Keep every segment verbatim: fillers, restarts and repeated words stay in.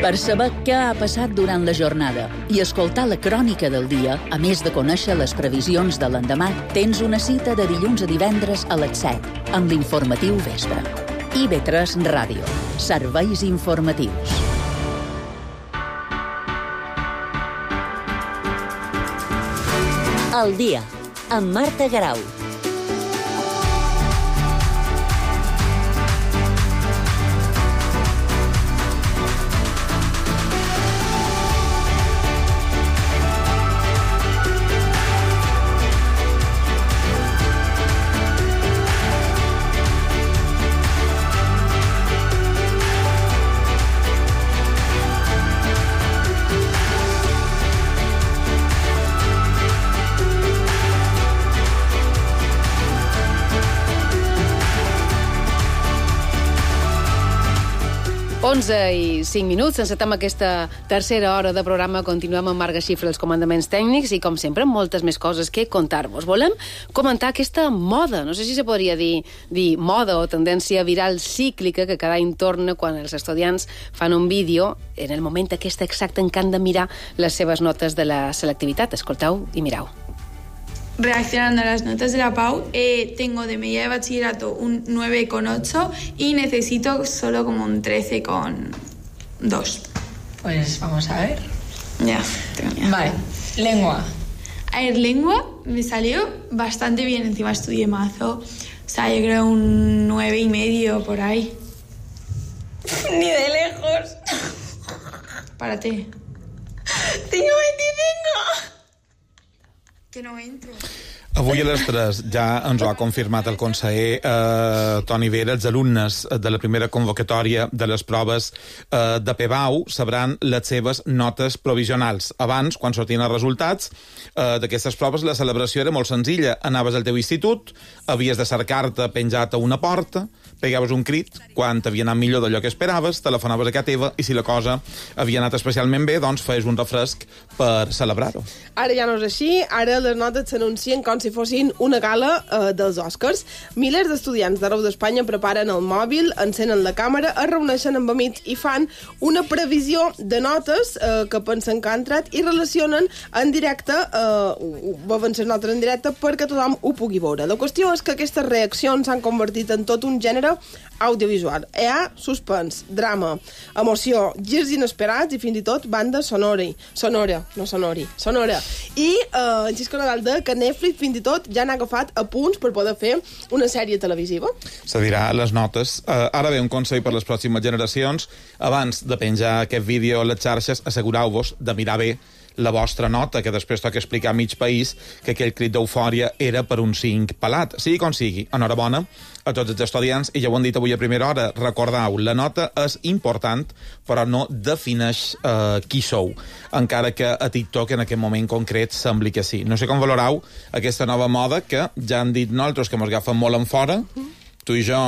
Per saber què ha passat durant la jornada i escoltar la crònica del dia, a més de conèixer les previsions de l'endemà, tens una cita de dilluns a divendres a les set, amb l'informatiu Vespre. I ve tres Ràdio. Serveis informatius. El dia, amb Marta Garau. onze i cinc minuts, encetem aquesta tercera hora de programa. Continuem amb Marga Xifra, els comandaments tècnics, i com sempre, moltes més coses que contar-vos. Volem comentar aquesta moda, no sé si se podria dir, dir moda o tendència viral cíclica que cada any torna quan els estudiants fan un vídeo en el moment aquest exacte en què han de mirar les seves notes de la selectivitat. Escolteu i mireu. Reaccionando a las notas de la P A U, eh, tengo de media de bachillerato un nueve coma ocho y necesito solo como un trece coma dos. Pues vamos a ver. Ya, tengo ya. Vale, lengua. A ver, lengua me salió bastante bien, encima estudié mazo. O sea, yo creo un nueve y medio por ahí. Ni de lejos. Párate. Tengo veinticinco. Que no entro. Avui a les tres ja ens ho ha confirmat el conseller eh, Toni Vera. Els alumnes de la primera convocatòria de les proves eh, de P B A U sabran les seves notes provisionals. Abans, quan sortien els resultats eh, d'aquestes proves, la celebració era molt senzilla. Anaves al teu institut, havies de cercar-te penjat a una porta, pegaves un crit quan t'havia anat millor d'allò que esperaves, telefonaves a casa teva i si la cosa havia anat especialment bé, doncs feies un refresc per celebrar-ho. Ara ja no és així, ara les notes s'anuncien com si fossin una gala eh, dels Oscars. Milers d'estudiants d'arreu d'Espanya preparen el mòbil, encenen la càmera, es reuneixen amb amics i fan una previsió de notes eh, que pensen que han entrat i relacionen en directe, eh, veuen les notes en directe perquè tothom ho pugui veure. La qüestió és que aquestes reaccions s'han convertit en tot un gènere audiovisual. Hi ha suspens, drama, emoció, girs inesperats i fins i tot banda sonora. Sonora, no sonori, sonora. I eh, en Xisco Nadal de que Netflix fins i tot ja n'ha agafat a punts per poder fer una sèrie televisiva. Se dirà les notes. Uh, ara ve un consell per les pròximes generacions. Abans de penjar aquest vídeo a les xarxes, assegureu-vos de mirar bé la vostra nota, que després toca explicar a mig país que aquell crit d'eufòria era per un cinc pelat. Sigui com sigui, enhorabona a tots els estudiants, i ja ho han dit avui a primera hora, recordeu, la nota és important, però no defineix eh, qui sou, encara que a TikTok en aquest moment concret sembli que sí. No sé com valoreu aquesta nova moda que ja han dit nosaltres que mos agafen molt en fora, tu i jo,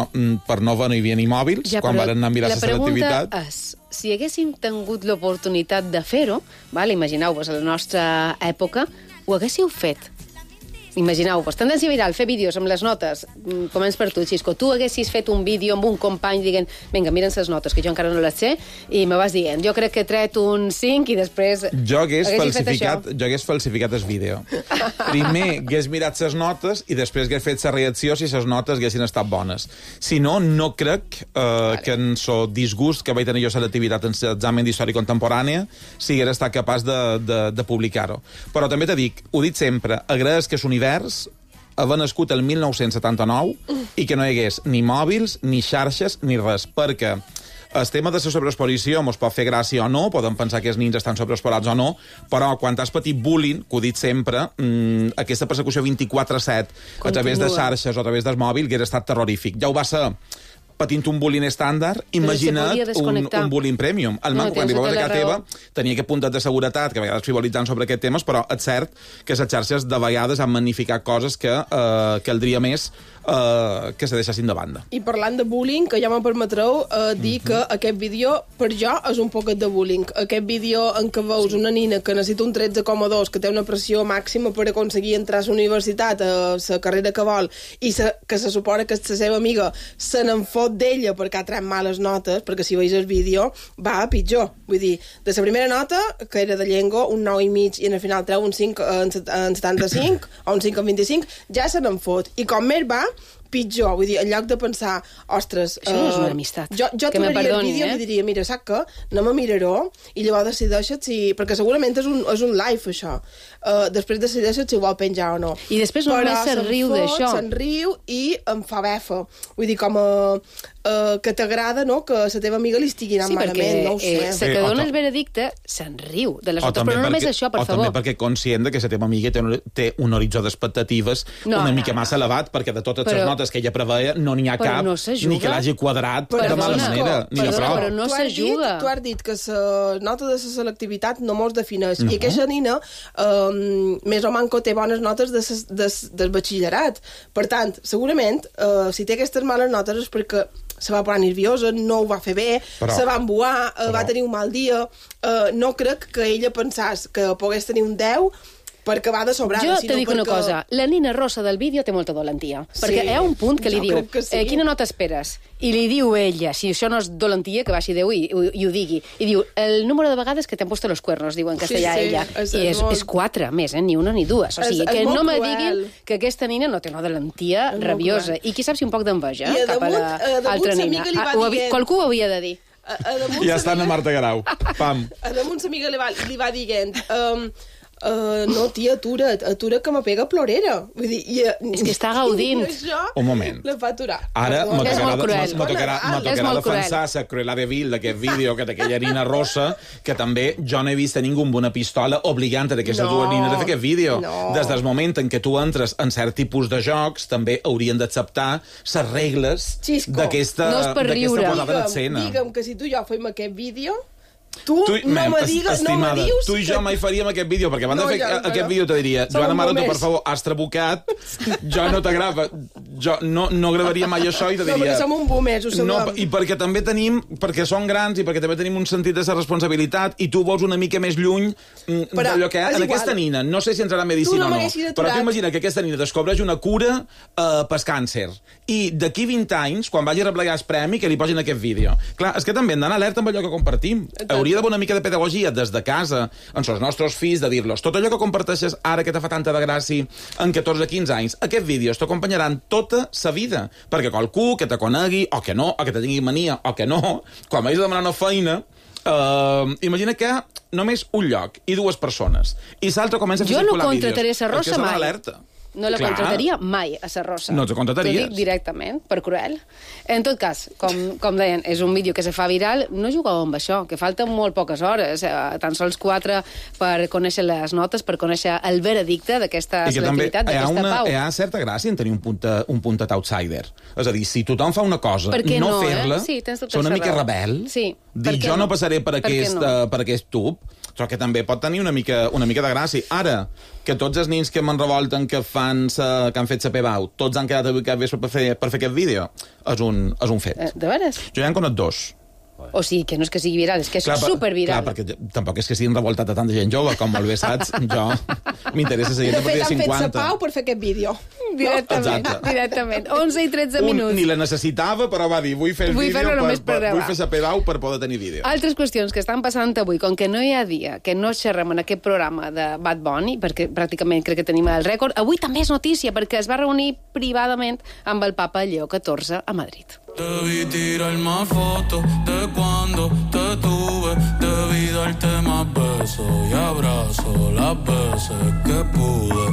per no no hi havia ni mòbils, ja, quan van anar a mirar la selectivitat. La pregunta és, si haguéssim tingut l'oportunitat de fer-ho, imagineu-vos, a la nostra època, ho haguéssiu fet? Imagineu-vos, tendència viral, fer vídeos amb les notes. Començ per tu, Xisco. Tu haguessis fet un vídeo amb un company dient, vinga, miren les notes, que jo encara no les sé, i me vas dient, jo crec que he tret un cinc i després... Jo hagués, falsificat, jo hagués falsificat el vídeo. Primer hagués mirat les notes i després hagués fet la reacció si les notes haguessin estat bones. Si no, no crec eh, vale. que en so disgust que vaig tenir jo selectivitat en l'examen d'història contemporània si hagués estat capaç de, de, de publicar-ho. Però també te dic, ho dit sempre, agraeix que és univers havia nascut el mil nou-cents setanta-nou i que no hi hagués ni mòbils, ni xarxes, ni res, perquè el tema de la sobreexposició mos pot fer gràcia o no, podem pensar que els nins estan sobreexposats o no, però quan has patit bullying, que ho dit sempre, mmm, aquesta persecució vint-i-quatre set a través de xarxes o a través del mòbil hauria estat terrorífic. Ja ho va ser patint un bullying estàndard, imagina't un, un bullying premium. El no, manco, quan arribaves a casa teva, tenia aquest puntet de seguretat, que a vegades frivolitzant sobre aquest temes, però és cert que les xarxes de vegades han magnificat coses que eh, caldria més eh, que se deixessin de banda. I parlant de bullying, que ja me permetreu eh, dir uh -huh. que aquest vídeo, per jo, és un poquet de bullying. Aquest vídeo en què veus una nina que necessita un tretze coma dos, que té una pressió màxima per aconseguir entrar a la universitat, a la carrera que vol, i se, que se suposa que la seva amiga se n'en fot d'ella perquè ha tret males notes, perquè si veus el vídeo va a pitjor. Vull dir, de la primera nota, que era de llengua, un nou i mig, i al final treu un cinc en setanta-cinc o un cinc en vint-i-cinc, ja se n'en fot. I com més va, pitjor. Vull dir, en lloc de pensar, ostres... Això no és una amistat. Jo, jo que trobaria perdoni, el vídeo eh? i li diria, mira, saps què? Anem a mirar-ho i llavors decideixes si... Perquè segurament és un, és un live, això. Uh, després decideixes si ho vol penjar o no. I després només se'n riu d'això. Se'n riu i em fa befa. Vull dir, com a... Uh, que t'agrada, no?, que la teva amiga li estigui anant sí, malament, no ho sé. Eh, se que dona el veredicte se'n riu de les altres, però no només això, per o favor. O també perquè conscient que la teva amiga té un, té un horitzó d'expectatives no, una no, mica no. massa elevat, perquè de totes les notes que ella preveia no n'hi ha cap, no ni que l'hagi quadrat perdona, de mala manera, ni perdona, de prou. Però no s'ajuda. Tu has dit que la nota de la selectivitat no mos defineix, no. i aquesta nina um, més o manco té bones notes de ses, de, del batxillerat. Per tant, segurament, uh, si té aquestes males notes és perquè se va posar nerviosa, no ho va fer bé, però, se va embuar, uh, va tenir un mal dia. Uh, no crec que ella pensàs que pogués tenir un deu perquè va de sobrada. Jo te dic perquè... una cosa, la nina rossa del vídeo té molta dolentia, sí, perquè hi ha un punt que li diu, que sí. eh, quina nota esperes? I li diu ella, si això no és dolentia, que baixi Déu i, i, i ho digui. I diu, el número de vegades que t'han puesto los cuernos, diu en castellà sí, sí, ella. És, I és, molt... és quatre, més, eh? Ni una ni dues. O sigui, és, que és no me diguin que aquesta nina no té una dolentia és rabiosa. I qui sap si un poc d'enveja eh? cap a l'altra nina. Ah, ho havia, qualcú ho havia de dir. A, a ja està a Marta Garau. Pam. A damunt sa amiga li va, li va dient... Um, Uh, no, tia, atura't, atura't que me pega plorera. Vull dir, i, és que està gaudint. Això, un moment. La fa aturar. Ara me tocarà, és me tocarà, me tocarà defensar la cruela de vil d'aquest vídeo, que d'aquella nina rossa, que també jo no he vist a ningú amb una pistola obligant a aquestes no, dues nines a fer aquest vídeo. No. Des del moment en què tu entres en cert tipus de jocs, també haurien d'acceptar les regles d'aquesta no posada d'escena. Digue'm que si tu i jo fem aquest vídeo... Tu, tu no me digues, no me dius... Tu i jo mai faríem aquest vídeo, perquè abans no, de fer ja, aquest vídeo te diria Joana Mara, tu, per favor, has trabucat, jo no t'agrada, jo no, no gravaria mai això i te diria... No, perquè som un boomers, ho sabem. No, i perquè també tenim, perquè som grans i perquè també tenim un sentit de la responsabilitat i tu vols una mica més lluny d'allò que en aquesta nina. No sé si ens agrada medicina no o no, però tu imagina que aquesta nina descobreix una cura uh, pel càncer i d'aquí vint anys, quan vagi a replegar el premi, que li posin aquest vídeo. Clar, és que també hem d'anar alerta amb allò que compartim. Hauria d'haver una mica de pedagogia des de casa, amb els nostres fills, de dir-los tot allò que comparteixes ara que te fa tanta de gràcia en catorze quinze anys, aquests vídeos t'acompanyaran tota sa vida, perquè qualcú que te conegui, o que no, o que te tingui mania, o que no, quan vagis a demanar una feina, uh, imagina que només un lloc i dues persones, i l'altre comença a fer circular vídeos. Jo no contrataré sa rossa mai. Alerta. No la Clar. contrataria mai, a sa rossa. No te contrataries. T'ho dic directament, per cruel. En tot cas, com, com deien, és un vídeo que se fa viral, no jugueu amb això, que falten molt poques hores, eh, tan sols quatre per conèixer les notes, per conèixer el veredicte d'aquesta selectivitat, d'aquesta pau. Hi ha certa gràcia en tenir un puntet, un puntet outsider. És a dir, si tothom fa una cosa, no, no fer-la, eh? sí, són una mica rebel, sí, dir jo no, no passaré per, per aquest, no? uh, per aquest tub, però que també pot tenir una mica, una mica de gràcia. Ara, que tots els nins que me'n revolten, que, fan sa, que han fet sa P B A U, tots han quedat avui cap vespre per fer, per fer aquest vídeo, és un, és un fet. Eh, de veres? Jo ja en conec dos. O sigui, que no és que sigui viral, és que és clar, superviral. Clar, perquè tampoc és que siguin revoltat a tanta gent jove, com molt bé saps, jo m'interessa la gent a partir de cinquanta. De fet, han fet sa pau per fer aquest vídeo. Directament, no? directament. onze i tretze minuts. Un, ni la necessitava, però va dir, vull fer el vull vídeo, per, per, per, vull fer sa P B A U per poder tenir vídeo. Altres qüestions que estan passant avui, com que no hi ha dia que no xerrem en aquest programa de Bad Bunny, perquè pràcticament crec que tenim el rècord, avui també és notícia, perquè es va reunir privadament amb el papa Lleó catorze a Madrid. Debí tirar más fotos de cuando te tuve. Debí darte más besos y abrazos las veces que pude.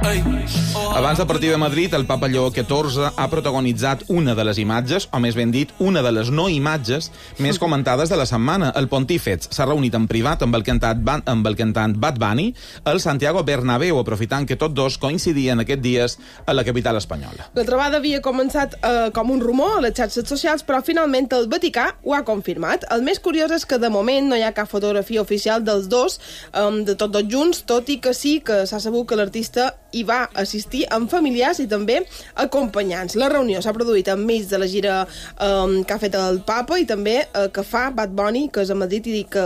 Ei, oh. Abans de partir de Madrid, el papa Lleó catorze ha protagonitzat una de les imatges, o més ben dit, una de les no imatges més comentades de la setmana. El pontífex s'ha reunit en privat amb el cantant, amb el cantant Bad Bunny al Santiago Bernabéu, aprofitant que tots dos coincidien aquests dies a la capital espanyola. La trobada havia començat eh, com un rumor a les xarxes socials, però finalment el Vaticà ho ha confirmat. El més curiós és que de moment no hi ha cap fotografia oficial dels dos, eh, de tots dos junts, tot i que sí que s'ha sabut que l'artista hi va assistir amb familiars i també acompanyants. La reunió s'ha produït enmig de la gira eh, que ha fet el papa i també eh, que fa Bad Bunny, que és a Madrid, i dic que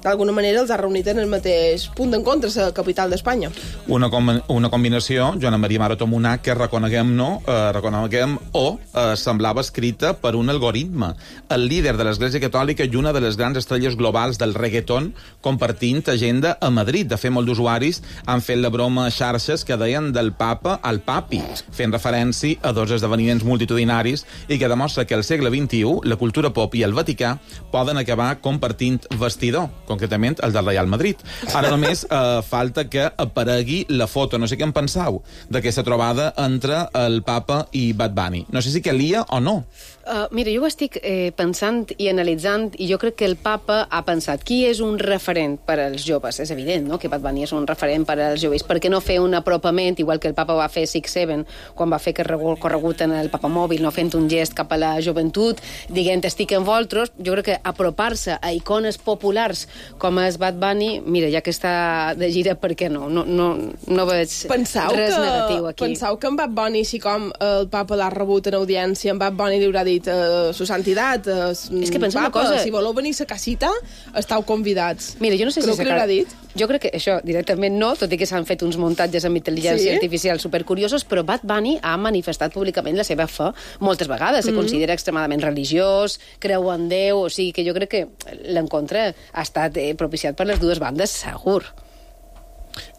d'alguna manera els ha reunit en el mateix punt d'encontre, la capital d'Espanya. Una, com una combinació, Joana Maria Maroto Monà, que reconeguem no, eh, reconeguem o eh, semblava escrita per un algoritme. El líder de l'Església Catòlica i una de les grans estrelles globals del reggaeton compartint agenda a Madrid. De fet, molts d'usuaris han fet la broma a xarxes que deien del papa al papi, fent referència a dos esdeveniments multitudinaris i que demostra que al segle vint-i-u la cultura pop i el Vaticà poden acabar compartint vestidor, concretament el del Real Madrid. Ara només eh, falta que aparegui la foto, no sé què en penseu, d'aquesta trobada entre el papa i Bad Bunny. No sé si calia o no. Uh, mira, jo ho estic eh, pensant i analitzant, i jo crec que el papa ha pensat qui és un referent per als joves. És evident, no?, que Bad Bunny és un referent per als joves. Per què no fer un apropament, igual que el papa va fer Six Seven, quan va fer corregut en el papamòbil, no fent un gest cap a la joventut, dient estic amb vosaltres. Jo crec que apropar-se a icones populars com és Bad Bunny, mira, ja que està de gira, per què no? No, no, no veig pensau res que, negatiu aquí. Penseu que en Bad Bunny, així com el papa l'ha rebut en audiència, en Bad Bunny li haurà dit Uh, su santitat, uh, és que pensa una papa, cosa, si voleu venir a la casita, estàu convidats. Mira, jo no sé Creu si que l'haurà dit? Jo crec que això directament no, tot i que s'han fet uns muntatges amb intel·ligència sí? artificial supercuriosos, però Bad Bunny ha manifestat públicament la seva fe moltes vegades. Se mm. considera extremadament religiós, creu en Déu, o sigui que jo crec que l'encontre ha estat eh, propiciat per les dues bandes, segur.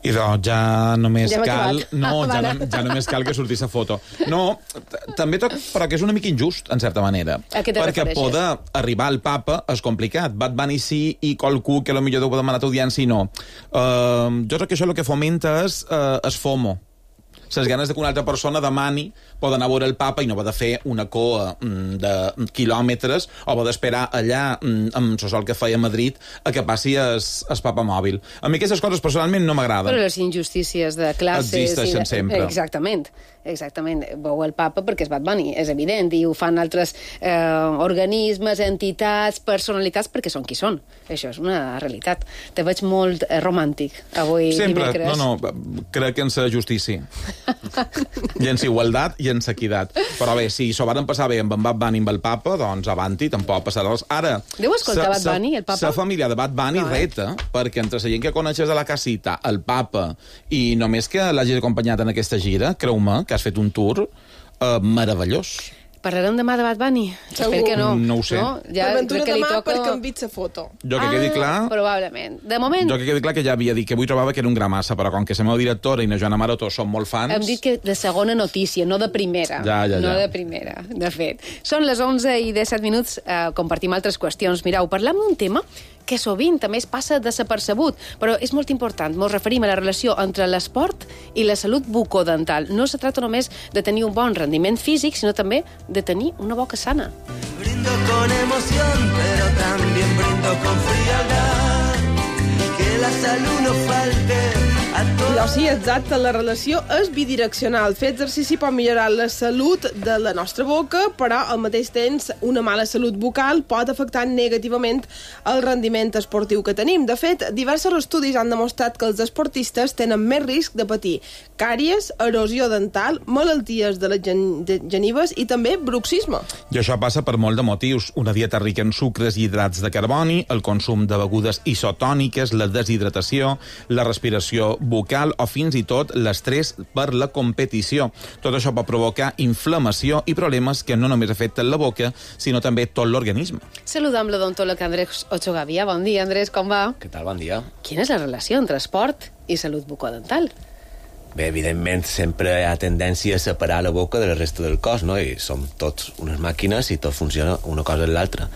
I doncs ja només ja cal... acabat. No, ah, ja, no, ja només cal que sortís la foto. No, també tot, però que és una mica injust, en certa manera. A què te perquè refereixes? poder arribar al papa és complicat. Bad Bunny sí i qualcú que potser deu demanar audiència i no. Uh, jo crec que això el que fomenta és, uh, és FOMO. Les ganes de que una altra persona demani pot anar a veure el papa i no va de fer una coa mm, de quilòmetres o va d'esperar allà mm, amb el sol que feia a Madrid a que passi el papa mòbil. A mi aquestes coses personalment no m'agraden. Però les injustícies de classes... Existeixen i de... sempre. Exactament. Exactament. Veu el papa perquè és Bad Bunny, és evident, i ho fan altres eh, organismes, entitats, personalitats, perquè són qui són. Això és una realitat. Te veig molt eh, romàntic avui Sempre, dimecres. no, no, crec en la justícia. I en la igualtat i en la equitat. Però bé, si s'ho varen passar bé amb en Bad Bunny i amb el papa, doncs avanti, tampoc passarà res. Ara... Deu escoltar Bad Bunny, el papa? La família de Bad Bunny no, eh? reta, perquè entre la gent que coneixes a la casita, el papa, i només que l'hagis acompanyat en aquesta gira, creu-me, que has fet un tour eh, meravellós. Parlarem demà de Bad Bunny? Espero que no. No ho sé. No? Ja per ventura que li demà toca... per canviar la foto. Jo que ah, quedi clar... Probablement. De moment... Jo que quedi clar que ja havia dit que avui trobava que era un gra massa, però com que la meva directora i na Joana Maroto són molt fans... Hem dit que de segona notícia, no de primera. Ja, ja, ja. No de primera, de fet. Són les onze i disset minuts, eh, compartim altres qüestions. Mireu, parlem d'un tema que sovint també es passa desapercebut, però és molt important. Ens referim a la relació entre l'esport i la salut bucodental. No se tracta només de tenir un bon rendiment físic, sinó també de tenir una boca sana. Brindo con emoción, pero también brindo con frialdad. Que la salud no falte a todos. No, sí, exacte, la relació és bidireccional. Fer exercici pot millorar la salut de la nostra boca, però al mateix temps una mala salut bucal pot afectar negativament el rendiment esportiu que tenim. De fet, diversos estudis han demostrat que els esportistes tenen més risc de patir càries, erosió dental, malalties de les gen de genives i també bruxisme. I això passa per molt de motius. Una dieta rica en sucres i hidrats de carboni, el consum de begudes isotòniques, la deshidratació, la respiració bucal o fins i tot l'estrès per la competició. Tot això pot provocar inflamació i problemes que no només afecten la boca, sinó també tot l'organisme. Saludam l'odontòleg Andrés Ochogavia. Bon dia, Andrés, com va? Què tal, bon dia. Quina és la relació entre esport i salut bucodental? Bé, evidentment, sempre hi ha tendència a separar la boca de la resta del cos, no? I som tots unes màquines i tot funciona una cosa en l'altra.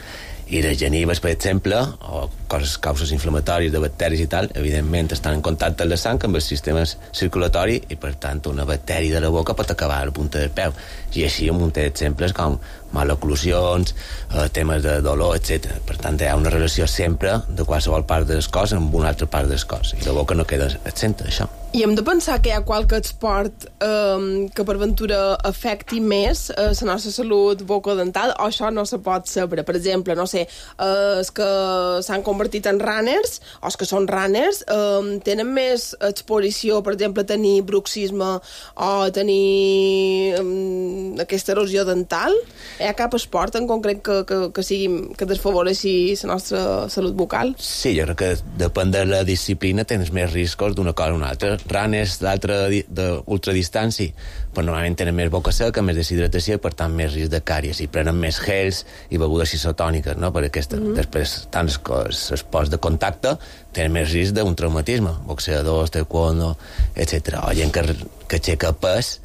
I les genives, per exemple, o coses, causes inflamatòries de bacteris i tal, evidentment estan en contacte amb la sang, amb el sistema circulatori, i per tant una bactèria de la boca pot acabar a la punta del peu. I així un munt d'exemples com maloclusions, eh, temes de dolor, etcètera. Per tant, hi ha una relació sempre de qualsevol part del cos amb una altra part del cos. I la boca no queda exenta d'això. I hem de pensar que hi ha qualque esport eh, que per ventura afecti més eh, la nostra salut bucodental, o això no se pot saber. Per exemple, no sé, eh, és que s'han comprat convertit en runners, o els que són runners, eh, tenen més exposició, per exemple, a tenir bruxisme o a tenir eh, aquesta erosió dental? Hi ha cap esport en concret que, que, que, sigui, que desfavoreixi la nostra salut bucal? Sí, jo crec que depèn de la disciplina tens més riscos d'una cosa o una altra. Runners d'ultradistància, però normalment tenen més boca seca, més deshidratació i, per tant, més risc de càries. I prenen més gels i begudes isotòniques, no? Per aquesta. Mm-hmm. Després, tant els esports de contacte tenen més risc d'un traumatisme. Boxeadors, taekwondo, etcètera. O gent que, que aixeca pes,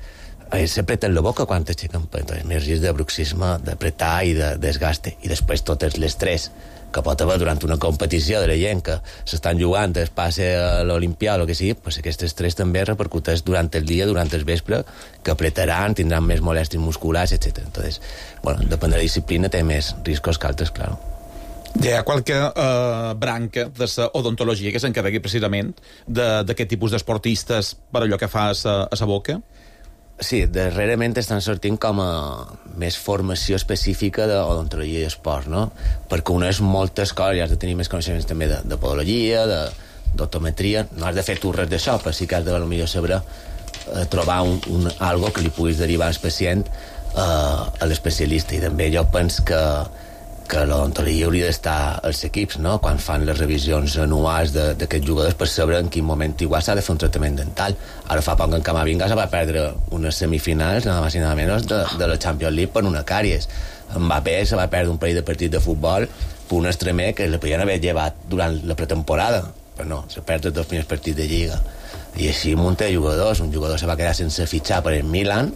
eh, s'apreten la boca quan aixequen pes. Entonces, més risc de bruxisme, d'apretar i de desgaste. I després tot l'estrès que pot haver durant una competició de la gent que s'estan jugant, es passa a l'Olimpià o el que sigui, pues aquest estrès també repercuteix durant el dia, durant el vespre, que apretaran, tindran més molèsties musculars, etcètera. Entonces, bueno, depèn de la disciplina, té més riscos que altres, claro. Hi ha qualque eh, branca de la odontologia que s'encarregui precisament d'aquest tipus d'esportistes per allò que fa a la boca? Sí, darrerament estan sortint com a més formació específica d'odontologia i esport, no? Perquè uneix moltes coses, i has de tenir més coneixements també de, de podologia, d'optometria, no has de fer tu res d'això, però sí que has de potser saber eh, trobar un, un, algo que li puguis derivar al pacient eh, a l'especialista. I també jo penso que que l'odontologia hauria d'estar als equips, no? Quan fan les revisions anuals d'aquests jugadors per saber en quin moment igual s'ha de fer un tractament dental. Ara fa poc en Camavinga se va perdre unes semifinals, nada més i nada menys, de, de la Champions League per una càries. Mbappé se va perdre un parell de partits de futbol per un extremer que li podien haver llevat durant la pretemporada, però no, se perd els dos primers partits de Lliga. I així un munt de jugadors. Un jugador se va quedar sense fitxar per el Milan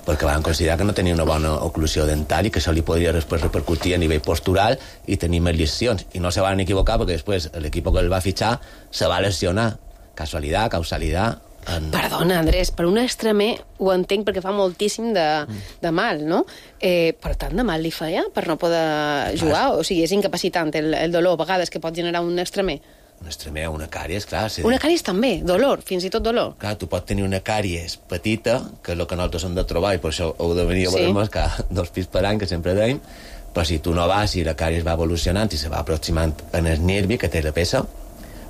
perquè van considerar que no tenia una bona oclusió dental i que això li podria després repercutir a nivell postural i tenir més lesions. I no se van equivocar perquè després l'equip que el va fitxar se va lesionar. Casualitat, causalitat... En... Perdona, Andrés, per un extremer ho entenc perquè fa moltíssim de, de mal, no? Eh, però tant de mal li feia per no poder jugar? O sigui, és incapacitant el, el dolor a vegades que pot generar un extremer? Un extremer, una càries, clar. Sí. Una càries també, dolor, fins i tot dolor. Clar, tu pots tenir una càries petita, que és el que nosaltres hem de trobar, i per això heu de venir a sí. veure-nos cada dos pis per any, que sempre deim, però si tu no vas i la càries va evolucionant i se va aproximant en el nervi que té la peça,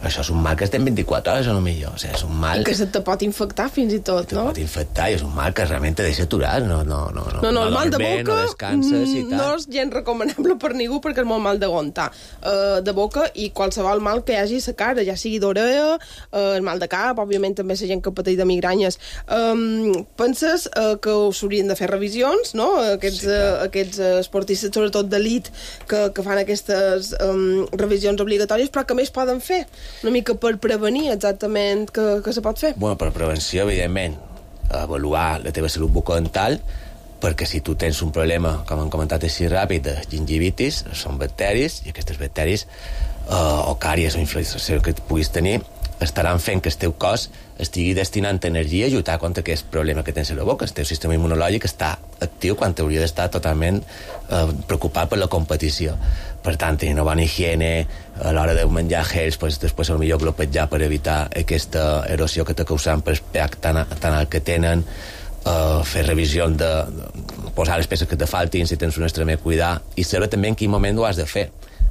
això és un mal que estem vint-i-quatre hores a lo millor. O sigui, és un mal... I que se te pot infectar fins i tot, te no? pot infectar i és un mal que realment te deixa aturar. No, no, no, no, no, no, el mal de boca no descanses i tal. No és gens recomanable per ningú perquè és molt mal d'aguantar. Uh, de boca i qualsevol mal que hi hagi a la cara, ja sigui d'orella, uh, el mal de cap, òbviament també la gent que pateix de migranyes. Um, penses uh, que s'haurien de fer revisions, no? Aquests, sí, uh, aquests esportistes, sobretot d'elit, que, que fan aquestes um, revisions obligatòries, però que més poden fer? Una mica per prevenir exactament que, que se pot fer? Bueno, per prevenció, evidentment, avaluar la teva salut bucodental, perquè si tu tens un problema, com hem comentat així ràpid, de gingivitis, són bacteris, i aquestes bacteris, eh, o càries o inflamació que puguis tenir, estaran fent que el teu cos estigui destinant energia a lluitar contra aquest problema que tens a la boca. El teu sistema immunològic està actiu quan hauria d'estar totalment eh, preocupat per la competició. Per tant, tenir una bona higiene a l'hora de menjar gels, pues, després potser glopetjar per evitar aquesta erosió que te causaran per el pH tan, tan alt que tenen, uh, fer revisió de, de posar les peces que te faltin, si tens un extremer, cuidar, i saber també en quin moment ho has de fer.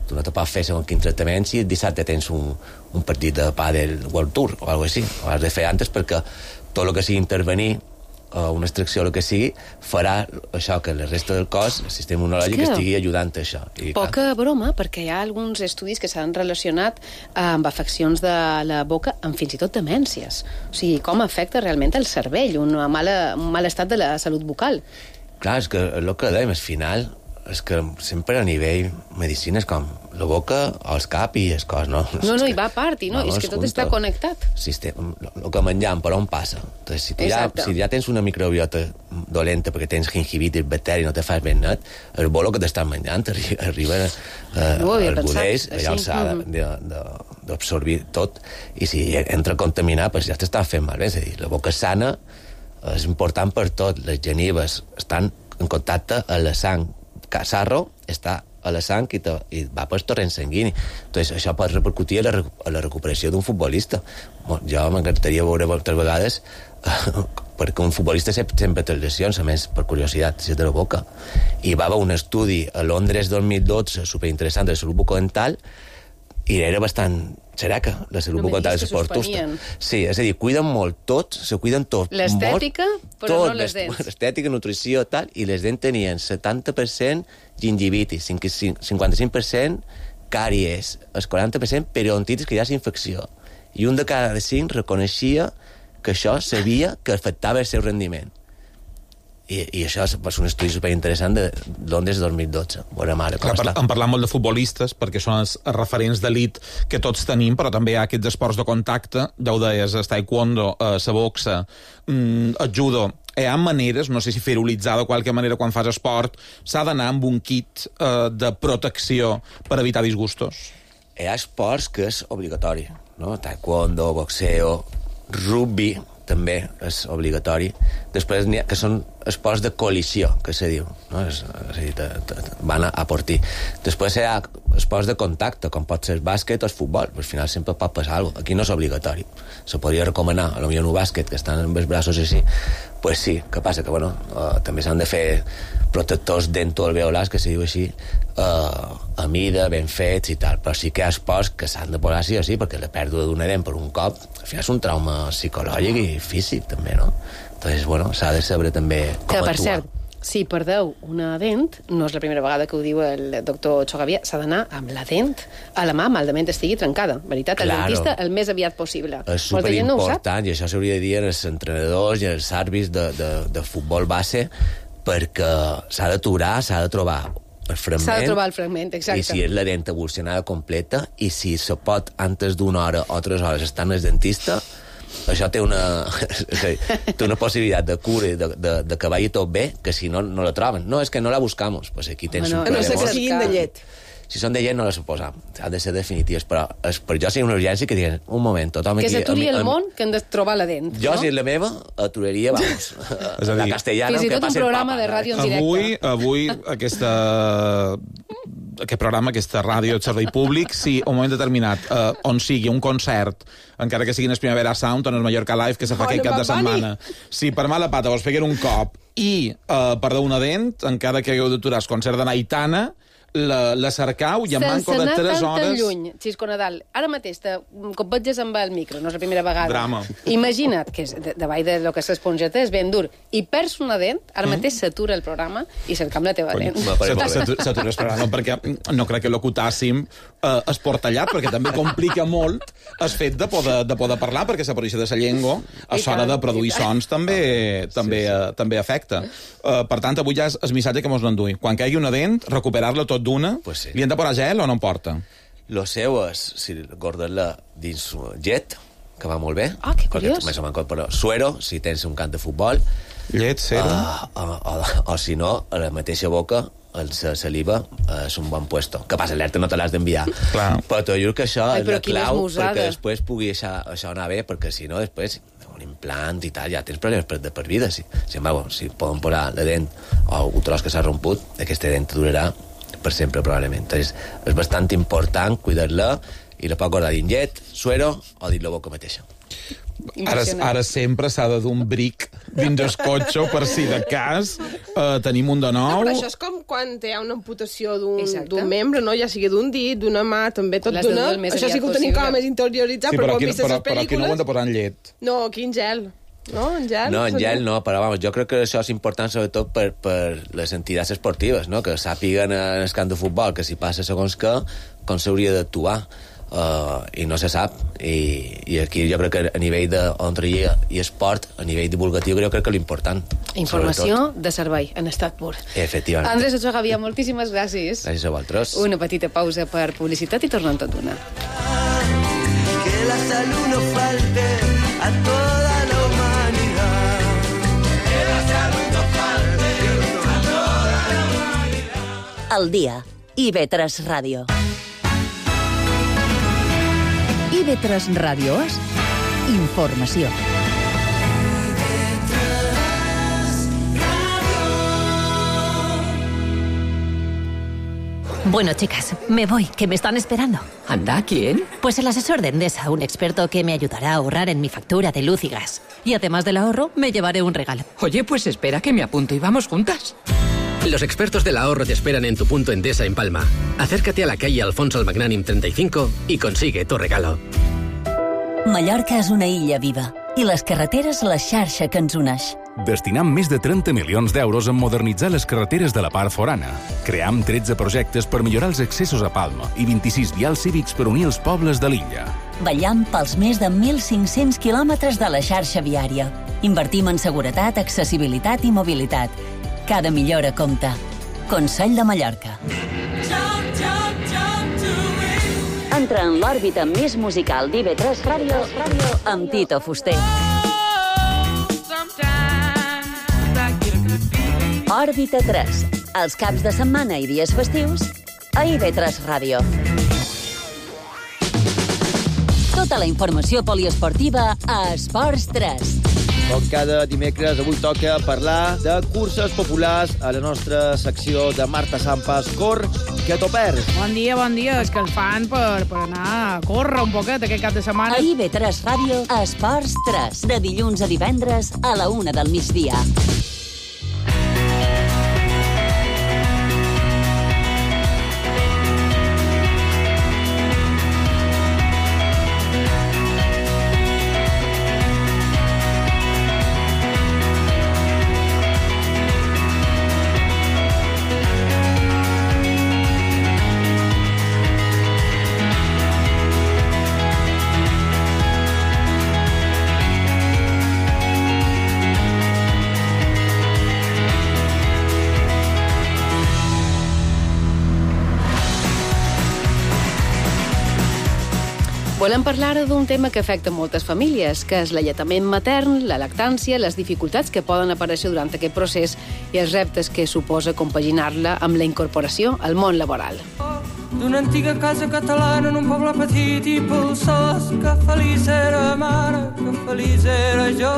Tu no te pots fer segons quin tractament si dissabte tens un, un partit de pàdel World Tour o alguna cosa així. Ho has de fer antes perquè tot el que sigui intervenir o una extracció o el que sigui, farà això que la resta del cos, el sistema immunològic, estigui ajudant a això. I, Poca clar. broma, perquè hi ha alguns estudis que s'han relacionat amb afeccions de la boca amb fins i tot demències. O sigui, com afecta realment el cervell, una mala, un mal estat de la salut bucal. Clar, és que el que dèiem, al final, és que sempre a nivell medicina és com la boca, el cap i el cos, no? No, no, i va a part, i no, és que tot està connectat. Sistema, el que menjam, per on passa? Entonces, si, ja, si ja tens una microbiota dolenta perquè tens gingivitis, bacteri, no te fas ben net, el bolo que t'estan menjant arriba eh, no al budeix, allà s'ha d'absorbir tot, i si entra contaminat, pues ja t'estan fent malbé. És a dir, la boca sana és important per tot. Les genives estan en contacte a la sang. Sarro està a la sang i, te, i va pel torrent sanguini. Entonces, això pot repercutir a la, a la recuperació d'un futbolista. Bon, jo m'encantaria veure moltes vegades eh, perquè un futbolista sempre, sempre té lesions, a més, per curiositat, si és de la boca. I va haver un estudi a Londres dos mil dotze superinteressant de salut bucodental i era bastant xereca, la salut No me bucotal diguis dels que esportos. suspenien. Sí, és a dir, cuiden molt tot, se cuiden tot. L'estètica, molt, però tot, no les dents. L'estètica, nutrició, tal, i les dents tenien setanta per cent gingivitis, cinquanta-cinc per cent càries, el quaranta per cent periodontitis, que ja és infecció. I un de cada cinc reconeixia que això sabia que afectava el seu rendiment. I, i això és un estudi superinteressant de Londres dos mil dotze. Bona mare, com Clar, està? en parlar molt de futbolistes, perquè són els referents d'elit que tots tenim, però també hi ha aquests esports de contacte, ja ho deies, el taekwondo, eh, la boxa, mm, el judo. Hi ha maneres, no sé si ferolitzar de qualque manera quan fas esport, s'ha d'anar amb un kit eh, de protecció per evitar disgustos? Hi ha esports que és obligatori, no? Taekwondo, boxeo, rugby, també és obligatori. Després n'hi ha que són esports de col·lisió, que se diu, no? És, és a dir, te, te, van a, a por ti. Després hi ha esports de contacte, com pot ser el bàsquet o el futbol, però al final sempre pot passar alguna cosa. Aquí no és obligatori. Se podria recomanar, a lo millor en un bàsquet, que estan amb els braços així, pues sí, que passa que, bueno, uh, també s'han de fer protectors dentoalveolars, que se diu així, uh, a mida, ben fets i tal, però sí que hi ha esports que s'han de posar sí o sí, perquè la pèrdua d'una dent per un cop, al final és un trauma psicològic i físic, també, no? Entonces, bueno, s'ha de saber també com que, per actuar. cert, si perdeu una dent, no és la primera vegada que ho diu el doctor Chogavia, s'ha d'anar amb la dent a la mà, malament estigui trencada. Veritat, el Claro. dentista el més aviat possible. És Molta gent no ho sap. superimportant, i això s'hauria de dir als entrenadors i als àrbits de, de, de futbol base, perquè s'ha d'aturar, s'ha de trobar el fragment. S'ha de trobar el fragment, exacte. I si és la dent evolucionada completa, i si se pot antes d'una hora o tres hores estar en el dentista, això té una, té una possibilitat de cura i de, de, de que vagi tot bé, que si no, no la troben. No, és que no la buscamos. Pues aquí tens Bueno, un A no ser que problema. siguin de llet. Si són de llet no les posam, ha de ser definitives, però és, per jo seria una urgència que diguin, un moment, tothom Que aquí... s'aturi a mi- el a mi- món, que hem de trobar la dent. Jo, no? si és la meva, aturaria, vamos, És a la dir, castellana, Fins i que tot un passi el programa papa, de ràdio en directe. Avui, avui aquesta, aquest programa, aquesta ràdio de servei públic, si a un moment determinat, eh, on sigui un concert, encara que sigui en el Primavera Sound o en el Mallorca Live, que se fa Oh, aquest no cap de Bad Bunny. setmana, si per mala pata vos peguen un cop i eh, perdeu una dent, encara que hagueu d'aturar el concert de Naitana, la, la cercau i en manco de anar tres tan, hores... tan lluny, Xisco Nadal. Ara mateix, te, com veges amb el micro, no és la primera vegada. Drama. Imagina't que és de, davall de lo que és l'esponjeta és ben dur. I perds una dent, ara Mm. mateix s'atura el programa i cercam la teva dent. S'atura el programa, perquè no crec que l'ocutàssim eh, esportallat, perquè també complica molt el fet de poder, de poder parlar, perquè l'aparença de la llengua, a I l'hora tant, de produir i tant. sons, també, també, eh, també afecta. Eh, per tant, avui ja és el missatge que mos n'endui. Quan caigui una dent, recuperar-la tot d'una, Pues sí. li han de posar gel o no en porta? Lo seu és, si guardar-la dins llet, que va molt bé. Ah, que perquè curiós. Més o menys, però suero, si tens un camp de futbol, Llet, cera... uh, o, o, o si no, a la mateixa boca, la saliva uh, és un bon puesto. Que passa, l'alerta no te l'has d'enviar. Clar. Però t'ho juro que això Ai, és però la quina clau esmusada. perquè després pugui això, això anar bé, perquè si no, després un implant i tal, ja tens problemes per, de per vida. Si, si, bueno, si poden posar la dent o un tros que s'ha romput, aquesta dent durarà per sempre, probablement. Entonces, és bastant important cuidar-la i la pot guardar dins llet, suero o dins la boca mateixa. Ara, ara sempre s'ha de dur un bric dins el cotxe per si de cas eh, tenim un de No, nou. però això és com quan hi ha una amputació d'un Exacte. d'un membre, no? Ja sigui d'un dit, d'una mà, també tot L'has de d'una. dur el més Això sí que ho aviat tenim com a possible. més interioritzat, Sí, però però ho aquí, hem vist a però, les però aquí no ho hem pel·lícules. de posar en llet. No, aquí en gel. No, en gel. No, en seria- gel no, però vamos, jo crec que això és important sobretot per, per les entitats esportives, no? Que sàpiguen en el camp de futbol que si passa segons què, com s'hauria d'actuar. Uh, i no se sap i, i aquí jo crec que a nivell d'odontologia i esport, a nivell divulgatiu jo crec que l'important Informació sobretot. de servei, en estat pur. Efectivament. Andrés Ochoa Gavia, moltíssimes gràcies. Gràcies a vosaltres. Una petita pausa per publicitat i tornem tot d'una. Que la salud no falte a toda la humanidad. Que la salud no falte a toda la humanidad. Al dia. I ve tres Ràdio. I ve tres Ràdio és informació. Bueno, chicas, me voy, que me están esperando. ¿Anda? ¿Quién? Pues el asesor de Endesa, un experto que me ayudará a ahorrar en mi factura de luz y gas. Y además del ahorro, me llevaré un regalo. Oye, pues espera que me apunto y vamos juntas. Los expertos del ahorro te esperan en tu punto Endesa en Palma. Acércate a la calle Alfonso el Magnànim treinta y cinco y consigue tu regalo. Mallorca és una illa viva i les carreteres la xarxa que ens uneix. Destinam més de trenta milions d'euros en modernitzar les carreteres de la part forana. Cream tretze projectes per millorar els accessos a Palma i vint-i-sis vials cívics per unir els pobles de l'illa. Vetllam pels més de mil cinc-cents quilòmetres de la xarxa viària. Invertim en seguretat, accessibilitat i mobilitat. Cada millora compta. Consell de Mallorca. Entra en l'òrbita més musical d'I V tres Ràdio amb Tito Fuster. Òrbita tres. Els caps de setmana i dies festius a I V tres Ràdio. Tota la informació poliesportiva a Esports tres. Com cada dimecres, avui toca parlar de curses populars a la nostra secció de Marta Sampas. Cor, que t'ho perds. Bon dia, bon dia. És que el fan per, per anar a córrer un poquet aquest cap de setmana. A I V tres Ràdio, a Esports tres. De dilluns a divendres a la una del migdia. Volem parlar d'un tema que afecta moltes famílies, que és l'alletament matern, la lactància, les dificultats que poden aparèixer durant aquest procés i els reptes que suposa compaginar-la amb la incorporació al món laboral. D'una antiga casa catalana en un poble petit i polsós, que feliç era mare, que feliç era jo,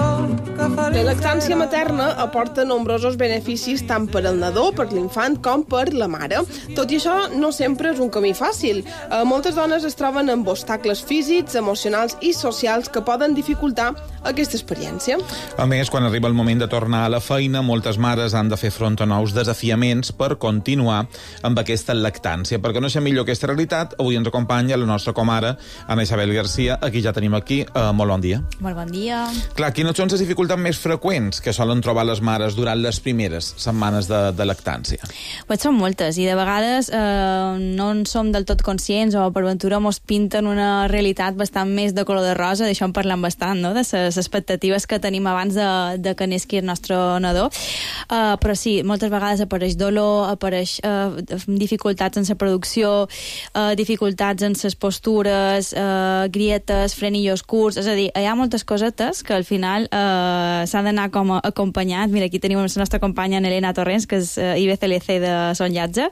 que feliç La lactància materna aporta nombrosos beneficis tant per al nadó, per l'infant, com per la mare. Tot i això, no sempre és un camí fàcil. Eh, moltes dones es troben amb obstacles físics, emocionals i socials que poden dificultar aquesta experiència. A més, quan arriba el moment de tornar a la feina, moltes mares han de fer front a nous desafiaments per continuar amb aquesta lactància. Perquè no sé millor aquesta realitat, avui ens acompanya la nostra comare, Ana Isabel Garcia, a qui ja tenim aquí. Uh, molt bon dia. Molt bon dia. Clar, quines són les dificultats més freqüents que solen trobar les mares durant les primeres setmanes de, de lactància? Pues són moltes, i de vegades eh, no en som del tot conscients o per ventura mos pinten una realitat bastant més de color de rosa, d'això en parlem bastant, no?, de les expectatives que tenim abans de, de que nesqui el nostre nadó. Uh, però sí, moltes vegades apareix dolor, apareix uh, dificultats en la producció, uh, dificultats en les postures, uh, grietes, frenillos curts, és a dir, hi ha moltes cosetes que al final uh, s'ha d'anar com a acompanyat. Mira, aquí tenim la nostra companya Elena Torrents, que és uh, I B C L C de Son Llatge,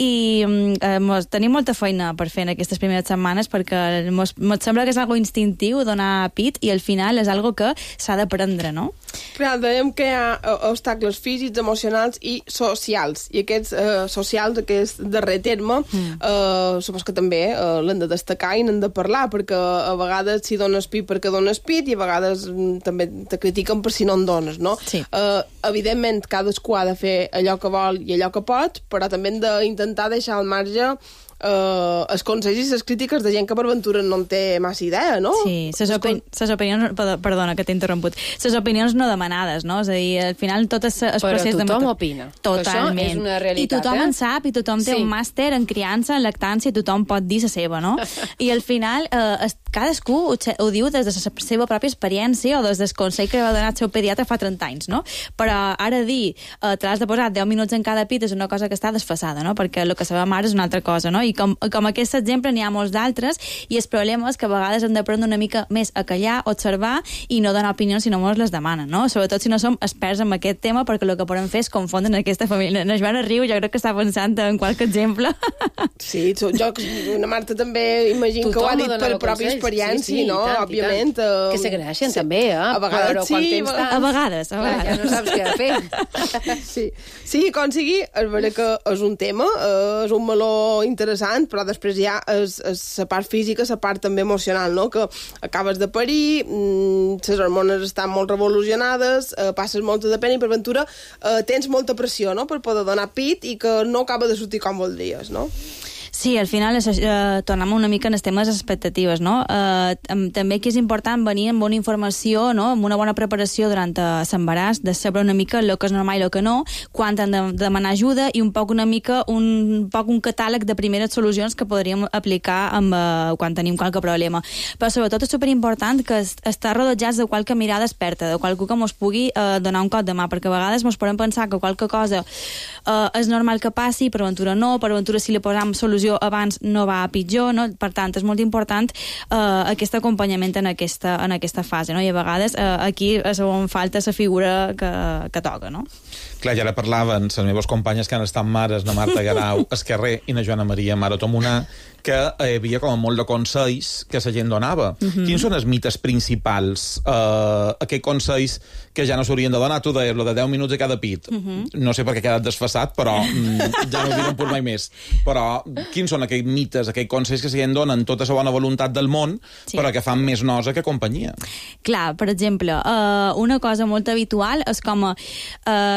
i uh, mos, tenim molta feina per fer en aquestes primeres setmanes perquè mos, mos sembla que és algo instintiu donar pit i al final és algo que s'ha d'aprendre, no? Clar, dèiem que hi ha obstacles físics, emocionals i socials. I aquests eh, socials, aquest darrer terme, mm. eh, supos que també eh, l'hem de destacar i n'hem de parlar, perquè a vegades si dones pit perquè dones pit i a vegades mm, també te critiquen per si no en dones, no? Sí. Eh, evidentment, cadascú ha de fer allò que vol i allò que pot, però també hem d'intentar deixar al marge Uh, els consells i les crítiques de gent que per ventura no en té massa idea, no? Sí, ses, opini ses opinions... Perdona, que t'he interromput. Ses opinions no demanades, no? És a dir, al final tot és el procés de... Però tothom opina. Totalment. Això és una realitat, I tothom eh? en sap, i tothom té sí. un màster en criança, en lactància, i tothom pot dir la seva, no? I al final, eh, cadascú ho, ho diu des de la seva pròpia experiència o des del consell que va donar el seu pediatre fa trenta anys, no? Però ara dir, eh, te l'has de posar deu minuts en cada pit és una cosa que està desfasada, no? Perquè el que sabem ara és una altra cosa, no? I com, com aquest exemple n'hi ha molts d'altres, i el problema és que a vegades hem d'aprendre una mica més a callar, observar i no donar opinions si no ens les demanen, no? Sobretot si no som experts en aquest tema, perquè el que podem fer és confondre en aquesta família. La Joana riu, jo crec que està pensant en qualque exemple. Sí, jo, una Marta també imagino que ho ha dit per pròpia consell, experiència, sí, sí, no? tant, Òbviament. Uh, que s'agraeixen sí. també, eh? A vegades però sí, tens tant... a vegades, a vegades. Ja no saps què fer. Sí, sí, com sigui, és vera que és un tema, és un meló interessant, però després hi ha és, és la part física, la part també emocional, no? Que acabes de parir, les hormones estan molt revolucionades, eh, passes molta de pena i per ventura eh, tens molta pressió, no?, per poder donar pit i que no acaba de sortir com voldries, no? Sí, al final això, eh, tornem una mica en els temes expectatives, no? Eh, també que és important venir amb bona informació, no?, amb una bona preparació durant l'embaràs, de saber una mica el que és normal i el que no, quan han de demanar ajuda i un poc una mica un poc un catàleg de primeres solucions que podríem aplicar amb, eh, quan tenim qualque problema. Però sobretot és superimportant que estar rodejats de qualque mirada experta, de qualcú que ens pugui eh, donar un cop de mà, perquè a vegades ens podem pensar que qualque cosa eh, és normal que passi, per aventura no, per aventura si li posam solució abans no va a pitjor, no? Per tant, és molt important eh, aquest acompanyament en aquesta, en aquesta fase, no? I a vegades eh, aquí és on falta la figura que, que toca, no? Clar, ja ara parlaven les meves companyes que han estat mares, na Marta Garau, Esquerrer i na Joana Maria Maro Tomunà, que hi havia com molt de consells que la gent donava. Uh-huh. Quins són els mites principals? Uh, aquells consells que ja no s'haurien de donar, tu deies, lo de deu minuts a cada pit. Uh-huh. No sé per què ha quedat desfasat, però mm, ja no ho direm per mai més. Però quins són aquells mites, aquells consells que la gent donen tota la bona voluntat del món, sí, però que fan més nosa que companyia? Clar, per exemple, uh, una cosa molt habitual és com uh,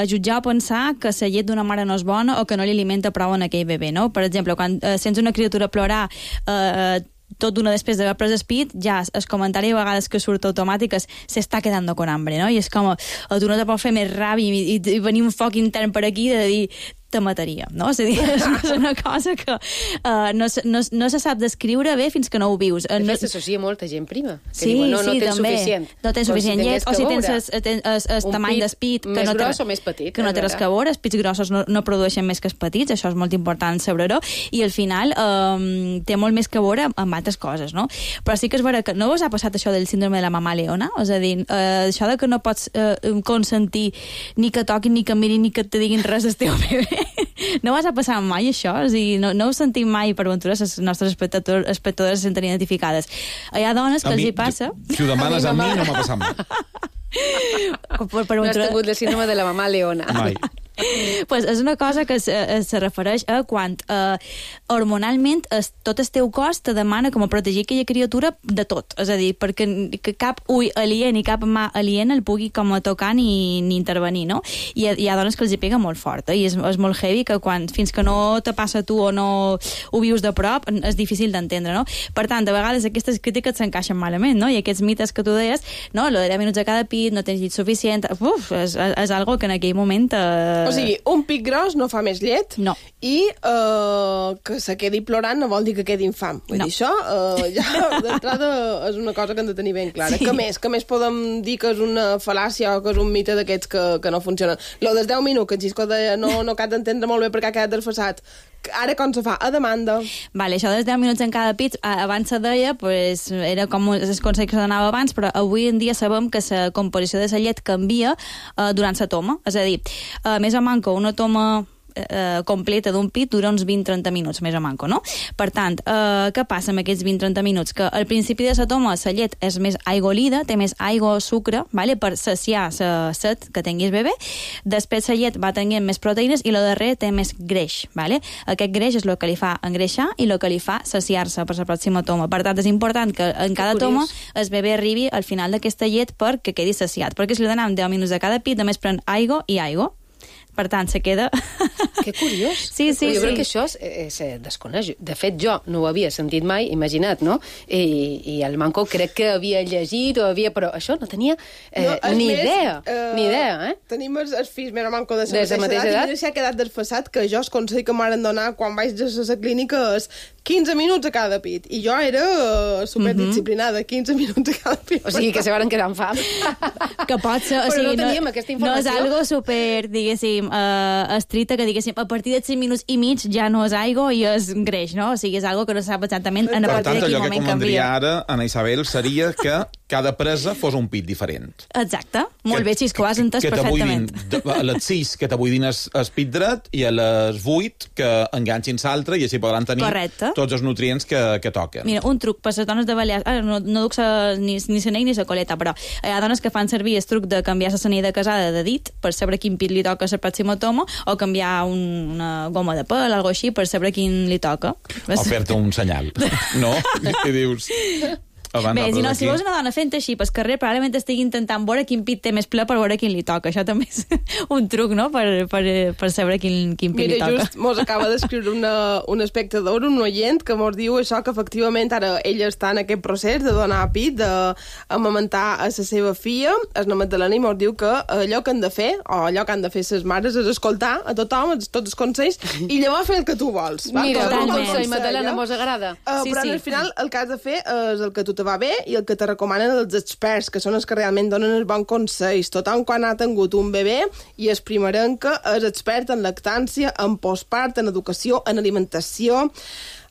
jutjar o pensar que la llet d'una mare no és bona o que no li alimenta prou en aquell bebè, no? Per exemple, quan uh, sents una criatura plorar eh, tot d'una després d'haver pres el pit, ja el comentari a vegades que surt automàtic és se està quedando con hambre, no? I és com, tu no te pot fer més ràbia i, i, i venir un foc intern per aquí de dir te mataria, no? És a dir, és una cosa que uh, no, no, no se sap descriure bé fins que no ho vius. De no... fet, s'associa molta gent prima. Que sí, diuen, no, sí, no tens també. suficient. No tens suficient llet, o si tens el tamany d'espit que més no gros o més petit. Que no té res que veure, els pits grossos no, no produeixen més que els petits, això és molt important saber-ho, i al final um, té molt més que veure amb altres coses, no? Però sí que és vera que no us ha passat això del síndrome de la mamà leona? És a dir, uh, això de que no pots uh, consentir ni que toquin, ni que mirin, ni que et diguin res del teu bebè. No vas a passar mai això? És a dir, no, no ho sentim mai, per aventura, les nostres espectadores, espectadores se senten identificades. Hi ha dones que a els mi, hi passa... Si ho demanes a mi, no m'ha passat mai. Per, per no has tingut el síndrome de la mamà leona. Mai. Pues és una cosa que se, se refereix a quan eh, hormonalment es, tot el teu cos te demana com a protegir aquella criatura de tot, és a dir, perquè que cap ull aliè ni cap mà aliena el pugui com a tocar ni, ni intervenir, no? I hi ha dones que els hi pega molt fort, eh? I és, és molt heavy que quan, fins que no te passa a tu o no ho vius de prop, és difícil d'entendre, no? Per tant, a vegades aquestes crítiques s'encaixen malament, no? I aquests mites que tu deies, no? Lo de deu minuts a cada pit, no tens llit suficient, uf, és, és algo que en aquell moment eh, O sigui, un pit gros no fa més llet, no. I uh, que se quedi plorant no vol dir que quedi infam. Vull no. dir, això uh, ja d'entrada és una cosa que hem de tenir ben clara. Sí. Què més? Què més podem dir que és una fal·làcia o que és un mite d'aquests que, que no funcionen? Lo dels deu minuts, que en Xisco deia, no, no cal d'entendre molt bé perquè ha quedat desfasat. Ara com se fa? A demanda. Vale, això dels deu minuts en cada pit, abans se deia, pues, era com els consells que se donava abans, però avui en dia sabem que la composició de la llet canvia uh, durant la toma. És a dir, uh, més o manco una toma eh, completa d'un pit dura uns vint a trenta minuts, més o manco, no? Per tant, eh, què passa amb aquests vint a trenta minuts? Que al principi de la toma la llet és més aigolida, té més aigua o sucre, vale? Per saciar la set que tinguis bebè. Després la llet va tenint més proteïnes i la darrere té més greix, vale? Aquest greix és el que li fa engreixar i el que li fa saciar-se per la pròxima toma. Per tant, és important que en cada toma el bebè arribi al final d'aquesta llet perquè quedi saciat. Perquè si li donem deu minuts a cada pit, només pren aigua i aigua. Per tant, se queda... Que curiós. Sí, sí, jo sí. crec que això es desconeix. De fet, jo no ho havia sentit mai, imagina't, no? I, i el Manco crec que havia llegit o havia... Però això no tenia eh, no, ni més, idea. Uh, ni idea, eh? Tenim els, els fills més o Manco de la mateixa, mateixa edat, edat i s'ha quedat desfasat que jo el consell que m'han donat quan vaig a la clínica és quinze minuts a cada pit. I jo era uh, superdisciplinada, quinze minuts a cada pit. O sigui, que se van quedar amb fam. Que pot ser... O sigui, però no teníem no, aquesta informació. No és algo super, diguéssim, uh, estricta, que diguéssim, a partir de cinc minuts i mig ja no és aigua i és greix, no? O sigui, és algo que no sap exactament en a per partir tant, de quin moment canvia. Per tant, allò que convendria ara, Ana Isabel, seria que cada presa fos un pit diferent. Exacte. Molt bé, si és que ho has entès que perfectament. A les sis que t'abuidin el, el pit dret i a les vuit que enganxin l'altre i així podran tenir Correcte. Tots els nutrients que, que toquen. Mira, un truc per les dones de Balears... Ara, no, no duc sa, ni, ni l'anell ni la coleta, però hi ha dones que fan servir el truc de canviar la sanell de casada de dit per saber quin pit li toca a la pròxima toma o canviar un, una goma de pèl, algo així, per saber quin li toca. O fer-te un senyal. No? I dius... Bé, si no, si veus una dona fent així pel carrer, probablement estigui intentant veure quin pit té més ple per veure quin li toca. Això també és un truc, no?, per, per, per saber quin, quin pit Mira, li toca. Mira, just mos acaba d'escriure una, un espectador, un oient, que mos diu això, que efectivament ara ella està en aquest procés de donar pit, d'amamentar a la seva filla. El nom de la nit mos diu que allò que han de fer, o allò que han de fer les mares, és escoltar a tothom, tots els consells, i llavors fer el que tu vols. Va? Mira, un consell, Madalena, mos agrada. Uh, sí, però sí. Al final el que has de fer és el que tu te va bé i el que te recomanen els experts, que són els que realment donen els bons consells. Tothom quan ha tingut un bebè i és primerenca és expert en lactància, en postpart, en educació, en alimentació,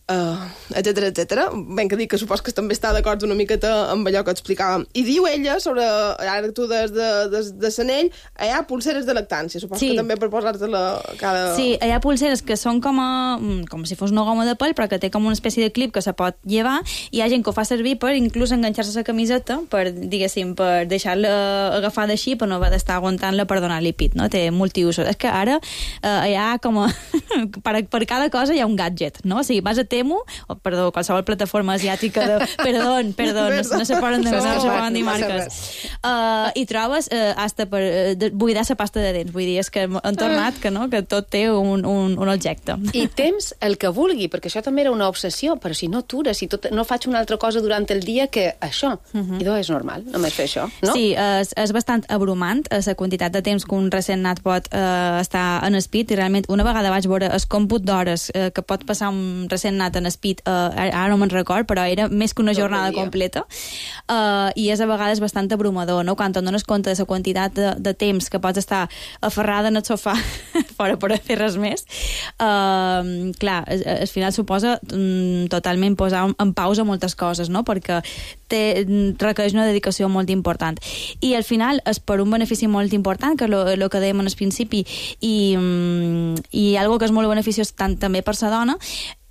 Uh, etcètera, etcètera. Ben que dic que supos que també està d'acord una miqueta amb allò que explicàvem. I diu ella, sobre, ara tu des de, des de Sanell, hi ha pulseres de lactància, supos sí. que també per posar-te-la cada... Sí, hi ha pulseres que són com, a, com si fos una goma de pèl, però que té com una espècie de clip que se pot llevar, i hi ha gent que ho fa servir per inclús enganxar-se a la camiseta, per, diguéssim, per deixar-la agafada així, per no haver d'estar aguantant-la per donar-li pit, no? Té multiusos. És que ara eh, hi ha com a... per, per cada cosa hi ha un gadget, no? O sigui, vas a Temu, o perdó, qualsevol plataforma asiàtica de... Perdó, perdó, no, no se poden de, no se poden dir marques. Uh, I trobes uh, hasta per uh, de, buidar la pasta de dents. Vull dir, és que han tornat que, no, que tot té un, un, un objecte. I temps el que vulgui, perquè això també era una obsessió, però si no atures, si tot, no faig una altra cosa durant el dia que això. Uh-huh. I doncs és normal, només fer això, no? Sí, és, és bastant abrumant la quantitat de temps que un recent nat pot uh, estar en espit, i realment una vegada vaig veure el còmput d'hores uh, que pot passar un recent nat en espit, uh, ara no me'n record, però era més que una jornada completa, uh, i és a vegades bastant abrumador, no? Quan et dones compte de la quantitat de, de temps que pots estar aferrada en el sofà fora per fer res més, uh, clar, al final suposa um, totalment posar en pausa moltes coses, no? Perquè té, requereix una dedicació molt important. I al final és per un benefici molt important, que és el que dèiem en el principi, i, um, i algo que és molt beneficiós tant també per la dona,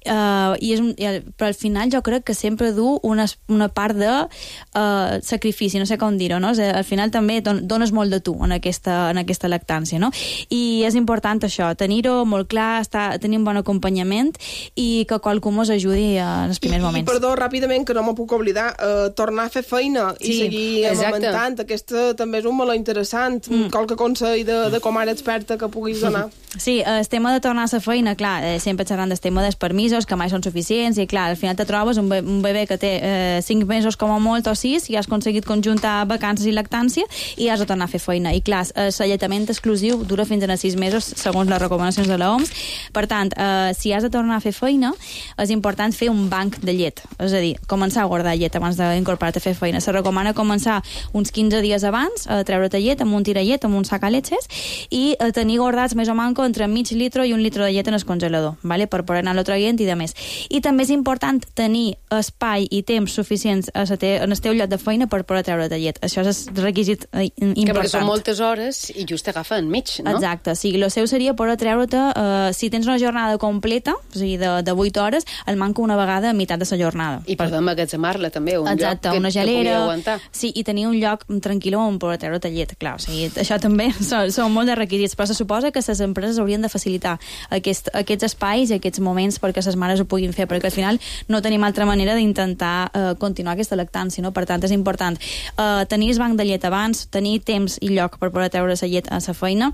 Uh, i és un, però al final jo crec que sempre du una, una part de uh, sacrifici, no sé com dir-ho, no? Al final també don, dones molt de tu en aquesta, en aquesta lactància, no? I és important això, tenir-ho molt clar, estar, tenir un bon acompanyament i que qualcú mos ajudi en els primers I, moments. I perdó, ràpidament, que no m'ho puc oblidar, uh, tornar a fer feina i sí, seguir amamentant, aquesta també és un molt interessant, mm. qualque consell de, de com ara experta que puguis donar. Sí, el tema de tornar a la feina, clar, eh, sempre xerrant del tema dels permisos, que mai són suficients, i clar, al final te trobes un, be un bebè que té eh, cinc mesos com a molt o sis, i has aconseguit conjuntar vacances i lactància, i has de tornar a fer feina. I clar, l'alletament exclusiu dura fins a sis mesos, segons les recomanacions de l'O M S. Per tant, eh, si has de tornar a fer feina, és important fer un banc de llet, és a dir, començar a guardar llet abans d'incorporar-te a fer feina. Se recomana començar uns quinze dies abans a treure't llet amb un tirallet, amb un sac a letxes, i a tenir guardats més o manco entre mig litre i un litre de llet en el congelador, ¿vale? Per poder anar-lo traient i de més. I també és important tenir espai i temps suficients a te en el teu lloc de feina per poder treure de llet. Això és requisit eh, important. Que perquè són moltes hores i just agafa enmig, no? Exacte, sí. El seu seria poder treure-te, eh, si tens una jornada completa, o sigui, de, de vuit hores, el manca una vegada a meitat de la jornada. I per emmagatzemar-la també, un Exacte, lloc que, una gelera, que pugui aguantar. Sí, i tenir un lloc tranquil on poder treure de llet, clar. O sigui, això també són, són molt de requisits, però se suposa que les empreses haurien de facilitar aquest, aquests espais i aquests moments perquè les mares ho puguin fer, perquè al final no tenim altra manera d'intentar uh, continuar aquesta lactància, no? Per tant, és important uh, tenir el banc de llet abans, tenir temps i lloc per poder treure la llet a la feina,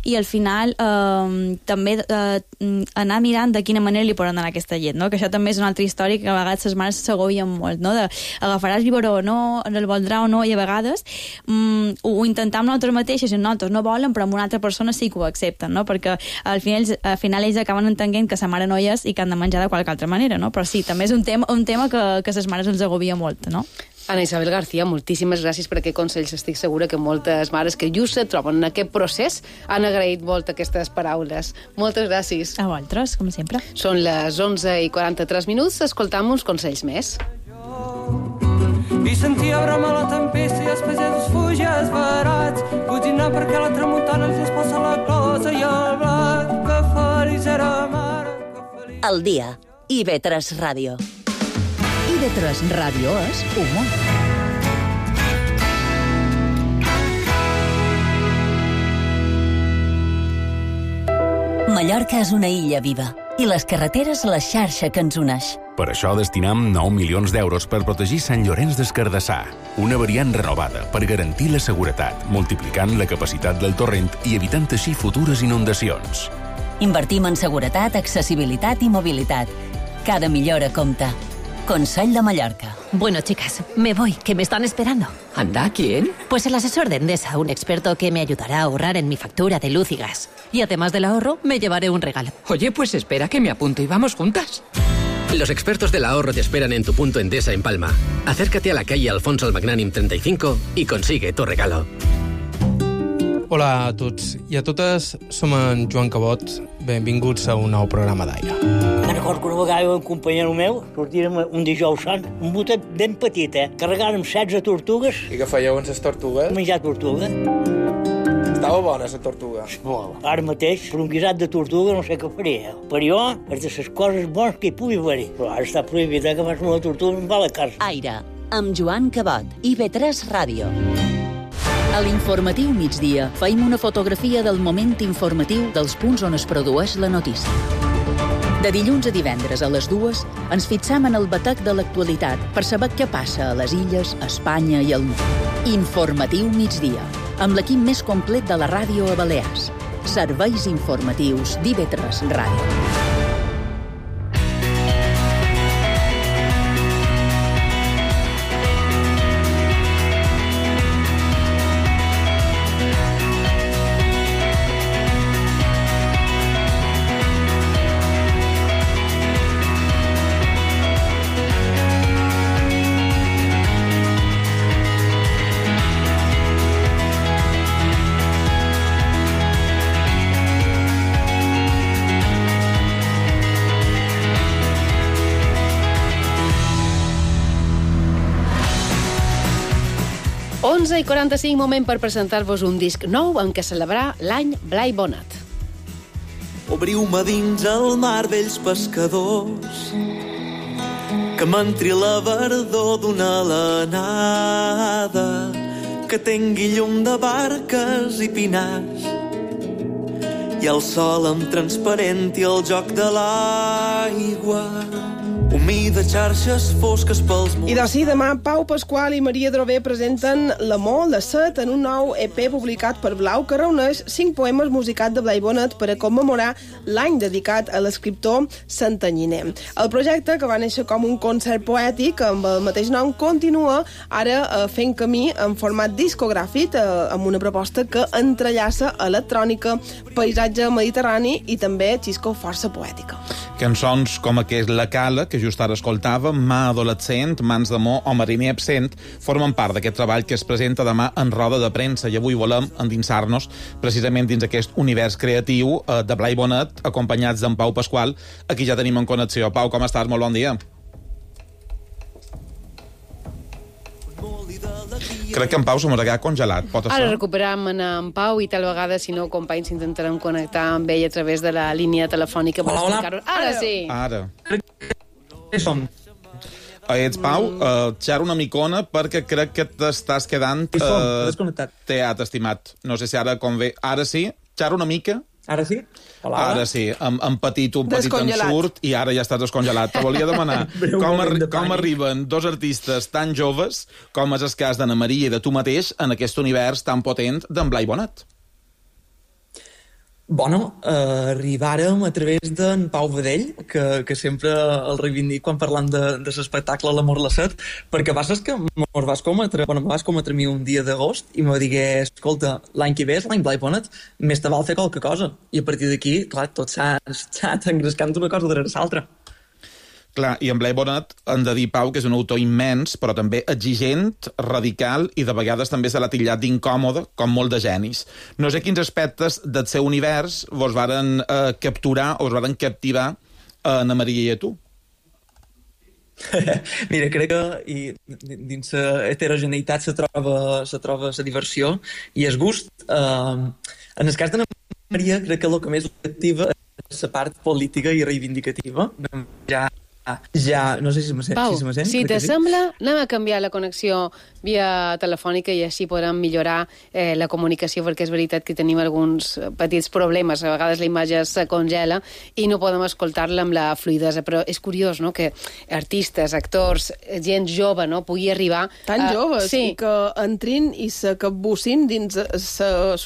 i al final uh, també uh, anar mirant de quina manera li poden donar aquesta llet, no? Que això també és una altra història que a vegades les mares s'agobien molt, no? De agafaràs el biberó o no, el voldrà o no, i a vegades um, ho, ho intentam nosaltres mateixes, i nosaltres no volen, però amb una altra persona sí que ho accepten, no? Perquè al final, al final ells acaben entenent que sa mare no hi és i que han de menjar de qualque altra manera, no? Però sí, també és un tema, un tema que, que les mares els agobia molt, no? Ana Isabel García, moltíssimes gràcies per aquests consells. Estic segura que moltes mares que just se troben en aquest procés han agraït molt aquestes paraules. Moltes gràcies. A vosaltres, com sempre. Són les onze i quaranta-tres minuts, escoltam uns consells més. i sentia bramar la tempesta i els pagesos fuges barats, coginant perquè la tramuntana els esposa la closa i el blat, que feliç era mare. El dia. I ve tres Ràdio. I ve tres Ràdio és humor. Mallorca és una illa viva i les carreteres la xarxa que ens uneix. Per això destinam nou milions d'euros per protegir Sant Llorenç des Cardassar, una variant renovada per garantir la seguretat, multiplicant la capacitat del torrent i evitant així futures inundacions. Invertim en seguretat, accesibilitat i mobilitat. Cada millora compta. Consell de Mallorca. Bueno, chicas, me voy, que me están esperando. ¿Anda? ¿Quién? Pues el asesor de Endesa, un experto que me ayudará a ahorrar en mi factura de luz y gas. Y además del ahorro, me llevaré un regalo. Oye, pues espera que me apunto y vamos juntas. Los expertos del ahorro te esperan en tu punto Endesa en Palma. Acércate a la calle Alfonso el Magnánim treinta y cinco y consigue tu regalo. Hola a tots i a totes, som en Joan Cabot. Benvinguts a un nou programa d'Aire. Me'n recordo que una vegada un companyero meu sortirem un dijous sant, un botet ben petit, eh? Carregàrem setze tortugues. I què fèieu amb les tortugues? Menjar tortuga. Estava bona, la tortuga. Molt. Ara mateix, per un guisat de tortuga no sé què faria. Per jo, és de les coses bones que hi pugui haver. Però ara està prohibit, eh, que fas una tortuga en va a la casa. Aire, amb Joan Cabot. I ve tres Ràdio. A l'informatiu migdia feim una fotografia del moment informatiu dels punts on es produeix la notícia. De dilluns a divendres a les dues ens fixam en el batec de l'actualitat per saber què passa a les illes, a Espanya i al món. Informatiu migdia, amb l'equip més complet de la ràdio a Balears. Serveis informatius d'I V tres Ràdio. onze i quaranta-cinc, moment per presentar-vos un disc nou en què celebrar l'any Blai Bonat. Obriu-me dins el mar, vells pescadors, que m'entri la verdor d'una alenada, que tingui llum de barques i pinars, i el sol amb transparent i el joc de l'aigua, humida xarxes fosques pels murs. I d'ací demà, Pau Pasqual i Maria Drover presenten L'amor, la set, en un nou E P publicat per Blau, que reuneix cinc poemes musicats de Blai Bonet per a commemorar l'any dedicat a l'escriptor santanyiner. El projecte, que va néixer com un concert poètic amb el mateix nom, continua ara eh, fent camí en format discogràfic, eh, amb una proposta que entrellaça electrònica, paisatge mediterrani i també xisco força poètica. Cançons com aquest La Cala, que just ara escoltàvem, Mà adolescent, Mans d'amor o Mariner absent, formen part d'aquest treball que es presenta demà en roda de premsa, i avui volem endinsar-nos precisament dins aquest univers creatiu eh, de Blai Bonet, acompanyats d'en Pau Pasqual, a qui ja tenim en connexió. Pau, com estàs? Molt bon dia. Crec que en Pau se mos ha quedat congelat. Pot Ara recuperam en Pau i tal vegada, si no, companys, intentarem connectar amb ell a través de la línia telefònica per explicar-ho. Ara sí! Ara. Som. Ets Pau, uh, xerra una micona perquè crec que t'estàs quedant uh, teat, estimat. No sé si ara convé. Ara sí? Xerra una mica? Ara sí? Hola. Ara sí, amb, amb petit, un petit ensurt i ara ja estàs descongelat. Te volia demanar com, ar com arriben dos artistes tan joves com és el cas d'Anna Maria i de tu mateix en aquest univers tan potent d'en Blai Bonet. Bueno, eh, arribàrem a través d'en Pau Vedell, que, que sempre el reivindic quan parlant de, de l'espectacle L'amor la set, perquè vas que mos vas cometre, bueno, me vas cometre a mi un dia d'agost i me digué, escolta, l'any que ve és l'any Blai Bonet, més te val fer qualque cosa. I a partir d'aquí, clar, tot s'ha engrescant una cosa darrere l'altra. Clar, i en Blai Bonet hem de dir, Pau, que és un autor immens, però també exigent, radical, i de vegades també se l'ha titllat d'incòmode, com molt de genis. No sé quins aspectes del seu univers vos varen eh, capturar o us varen captivar a Anna Maria i a tu. Mira, crec que i, dins la heterogeneïtat se troba, se troba la diversió i el gust. Uh, en el cas d'Anna Maria, crec que el que més l'activa és la part política i reivindicativa. Ja, ja no sé si se m'assent. Pau, si, se si t'assembla, sí. anem a canviar la connexió via telefònica i així podrem millorar eh, la comunicació, perquè és veritat que tenim alguns petits problemes, a vegades la imatge se congela i no podem escoltar-la amb la fluidesa, però és curiós, no?, que artistes, actors, gent jove, no?, pugui arribar... Tan a... joves, sí. i que entrin i se capbussin dins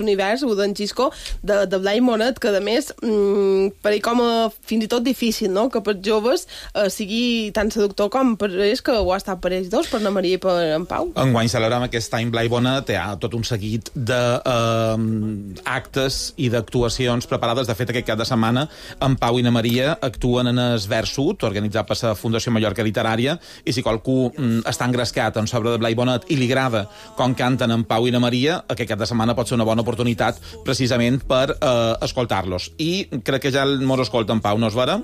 l'univers d'en Xisco, de, de Blai Monet, que a més, mmm, per ell com a fins i tot difícil, no?, que per joves eh, sigui tan seductor com per ells, que ho ha estat per ells dos, per Anna Maria i per en Pau. Enguany celebrem aquest any Blai Bonet, hi ha tot un seguit d'actes eh, i d'actuacions preparades. De fet, aquest cap de setmana en Pau i Anna Maria actuen en el Versut, organitzat per la Fundació Mallorca Literària, i si qualcú mm, està engrescat en sobre de Blai Bonet i li agrada com canten en Pau i Anna Maria, aquest cap de setmana pot ser una bona oportunitat precisament per eh, escoltar-los. I crec que ja mos escolta en Pau, no és vera?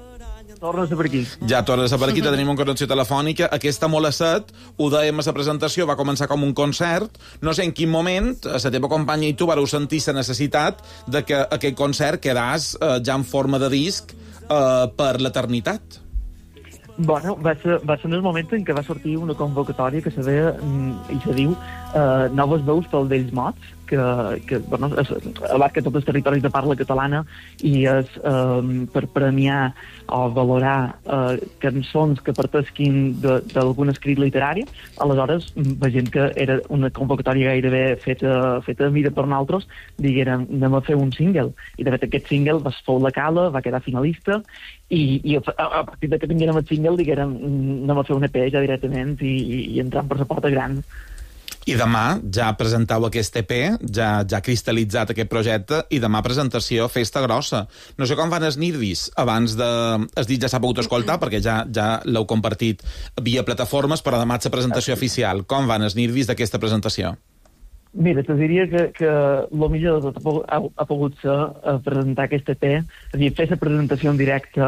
Tornes a per aquí. Ja tornes a per aquí, tenim una connexió telefònica. Aquesta molt a set, ho dèiem a la presentació, va començar com un concert. No sé en quin moment, la teva companya i tu vareu sentir la necessitat de que aquest concert quedàs eh, ja en forma de disc eh, per l'eternitat. Bueno, va ser, va ser en el moment en què va sortir una convocatòria que se deia, i se diu, eh, Noves veus pel Vells Mots, que, que bueno, és, abarca tots els territoris de parla catalana i és eh, per premiar o valorar eh, cançons que partesquin d'algun escrit literari. Aleshores, veient que era una convocatòria gairebé feta, feta a mida per nosaltres, diguérem, anem a fer un single. I de fet aquest single va fou la cala, va quedar finalista, i, i a, a partir de que tinguérem el single, diguérem, anem a fer un E P ja directament i, i, i entrant per la porta gran. I demà ja presentau aquest E P, ja ja cristal·litzat aquest projecte, i demà presentació, festa grossa. No sé com van els nervis abans de... Es dit ja s'ha pogut escoltar, perquè ja ja l'heu compartit via plataformes, però demà és la presentació oficial. Com van els nervis d'aquesta presentació? Mira, te diria que, que el millor de tot ha, ha pogut ser uh, presentar aquest E P, és a dir, fer la presentació en directe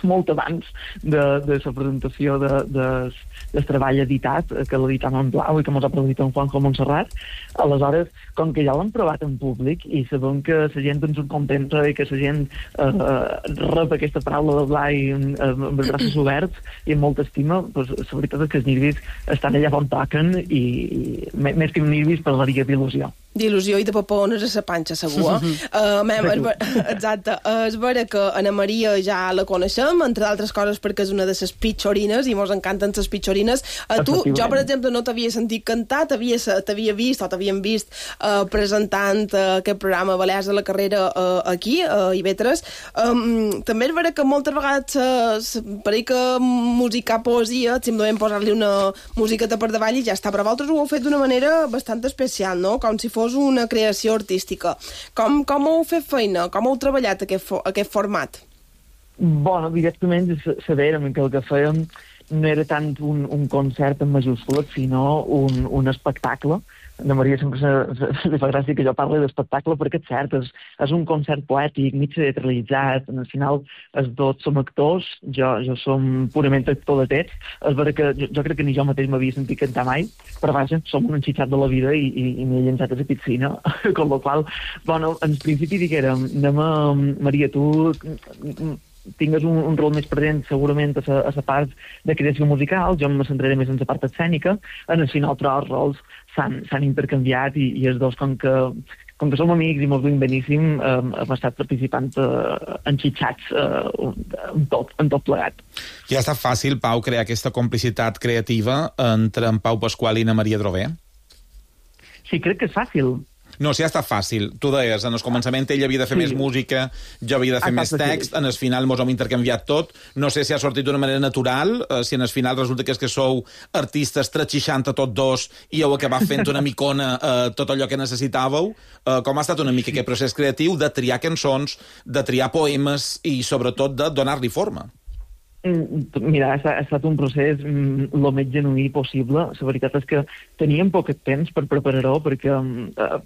molt abans de, de la presentació de, de, del treball editat, que l'editam en blau i que mos ha produït en Juanjo Montserrat. Aleshores, com que ja l'hem provat en públic i sabem que la gent ens ho contenta i que la gent uh, rep aquesta paraula de Blai amb, amb els braços oberts i amb molta estima, doncs la veritat és que els nervis estan allà on toquen i, i més que nervis per la d'il·lusió. D'il·lusió i de papones a la panxa, segur. Eh? uh, mem, exacte. És vera que Anna Maria ja la coneixem, entre d'altres coses perquè és una de les pitxorines i mos encanten les pitxorines. Uh, tu, jo, per exemple, no t'havia sentit cantar, t'havia vist o t'havien vist uh, presentant uh, aquest programa Balears de la Carrera uh, aquí, a uh, I V tres. Um, també és vera que moltes vegades uh, pareix que musicar poesia, simplement posar-li una musiqueta per davall i ja està. Però vosaltres ho heu fet d'una manera bastant especial, no? Com si fos una creació artística. Com, com heu fet feina? Com heu treballat aquest, fo aquest format? Bueno, directament sabérem que el que fèiem no era tant un, un concert en majúscules, sinó un, un espectacle. Anna Maria sempre se, se, li fa gràcia que jo parli d'espectacle perquè és cert, és, és un concert poètic, mig teatralitzat, al final els dos som actors, jo, jo som purament actor de text, és vera que jo, jo crec que ni jo mateix m'havia sentit cantar mai, però vaja, som un enxitxat de la vida i, i, i m'he llançat a la piscina, con la qual, bueno, en principi diguérem, anem a, Maria, tu tingues un, un rol més present segurament a la part de creació musical, jo me centraré més en la part escènica, en el final però els rols s'han intercanviat i, i els dos, com que, com que som amics i molt ben beníssim, eh, hem estat participant eh, enxitxats eh, en, tot, en tot plegat. Ja ha estat fàcil, Pau, crear aquesta complicitat creativa entre en Pau Pasqual i Anna Maria Drover? Sí, crec que és fàcil. No, sí, ha estat fàcil. Tu deies, en el començament ell havia de fer sí. més música, jo havia de fer més text, en el final mos hem intercanviat tot. No sé si ha sortit d'una manera natural, eh, si en el final resulta que és que sou artistes tres seixanta tot dos i heu acabat fent una micona eh, tot allò que necessitàveu. Eh, com ha estat una mica aquest procés creatiu de triar cançons, de triar poemes i sobretot de donar-li forma? Mira, ha estat un procés el més genuí possible. La veritat és que teníem poc temps per preparar-ho perquè,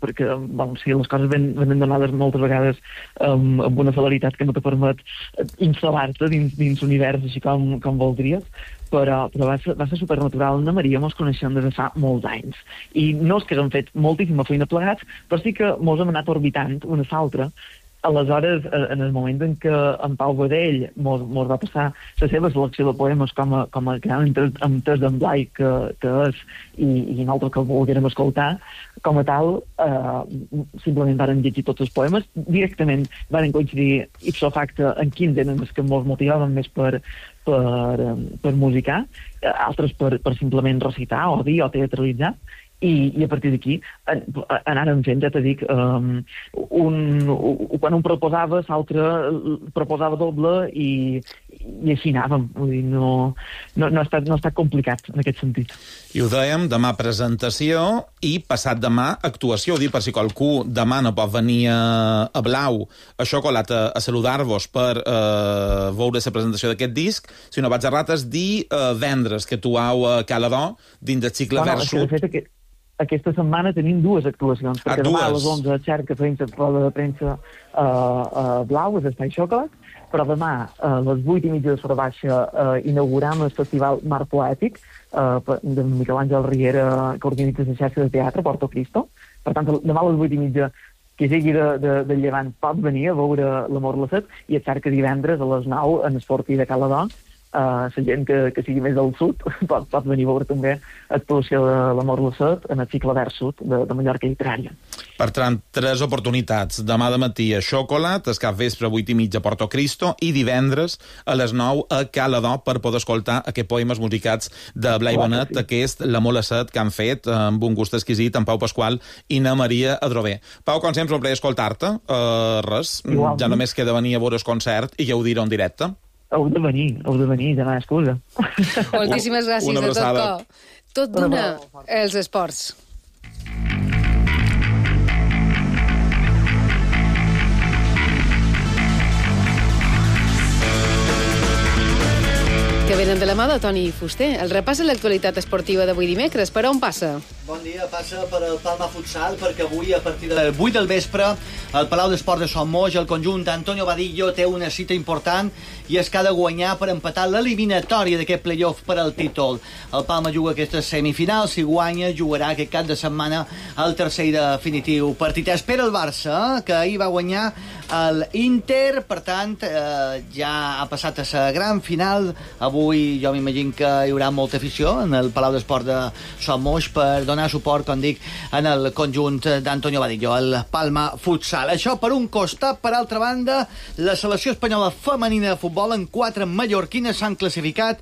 perquè bon, sí, les coses ven, venen donades moltes vegades um, amb una celeritat que no te permet instal·lar-te dins, dins l'univers així com, com voldries, però, però va ser, va ser supernatural. Anna Maria mos coneixem des de fa molts anys. I no és que hem fet moltíssima feina plegats, però sí que mos hem anat orbitant una a l'altra. Aleshores, en el moment en què en Pau Badell mos, mos va passar la seva selecció de poemes com a, com a gran amb test d'en Blai que, que és, i, i nosaltres que el volguérem escoltar, com a tal, eh, simplement varen llegir tots els poemes, directament varen coincidir ipso facto en quins eren els que ens motivaven més per, per, per musicar, altres per, per simplement recitar o dir o teatralitzar. I, i a partir d'aquí anàrem fent, ja t'he dit, um, un, un, quan un proposava, l'altre proposava doble i, i així anàvem. Vull dir, no, no, no, ha estat, no ha estat complicat en aquest sentit. I ho dèiem, demà presentació i passat demà actuació. Ho dic per si qualcú demà no pot venir a, a Blau, a Xocolat, a, a saludar-vos per eh, veure la presentació d'aquest disc, si no vaig a rates, dir eh, vendres que actuau a Caladó dins del cicle bueno, Vers Sud. De fet, aquest, aquesta setmana tenim dues actuacions, ah, perquè dues. demà a les onze xerca premsa, roda de premsa a uh, uh, Blau, és Espai Xocolat, però demà a les vuit i mitja de Sora Baixa uh, inauguram el festival Mar Poètic uh, de Miquel Àngel Riera, que organitza la xarxa de teatre Porto Cristo. Per tant, demà a les vuit i mitja qui sigui de, de, de Llevant pot venir a veure l'Amor la Set, i et cerca divendres a les nou en Esporti de Caladó. Uh, la gent que, que sigui més del sud pot, pot venir a veure també actuació de l'Amor la Set en el cicle Vers Sud de, de Mallorca Literària. Per tant, tres oportunitats. Demà de matí a Xocolat, el cap vespre a vuit i mitja a Porto Cristo i divendres a les nou a Caladó per poder escoltar aquests poemes musicats de Blai Bonet, sí. Aquest L'Amor la Set que han fet amb un gust exquisit en Pau Pasqual i na Maria Adrover. Pau, com sempre, un plaer escoltar-te. Uh, res, Igualment. Ja només queda venir a veure el concert i ja ho diré en directe. Heu de venir, heu de venir, demà excusa. Moltíssimes gràcies de tot cor. Tot d'una, els esports. Que venen de la mà de Toni Fuster. El repàs a l'actualitat esportiva d'avui dimecres. Per on passa? Bon dia, passa per el Palma Futsal, perquè avui, a partir de vuit del vespre, al Palau d'Esport de Son Moix, el conjunt d'Antonio Vadillo té una cita important i és que ha de guanyar per empatar l'eliminatòria d'aquest playoff per al títol. El Palma juga aquestes semifinals, si guanya, jugarà aquest cap de setmana el tercer i definitiu partit. Espera el Barça, que ahir va guanyar l'Inter, per tant, eh, ja ha passat a la gran final. Avui jo m'imagino que hi haurà molta afició en el Palau d'Esport de Son Moix per donar suport, com dic, en el conjunt d'Antonio Vadillo, el Palma Futsal. Això per un costat. Per altra banda, la selecció espanyola femenina de futbol en quatre mallorquines s'han classificat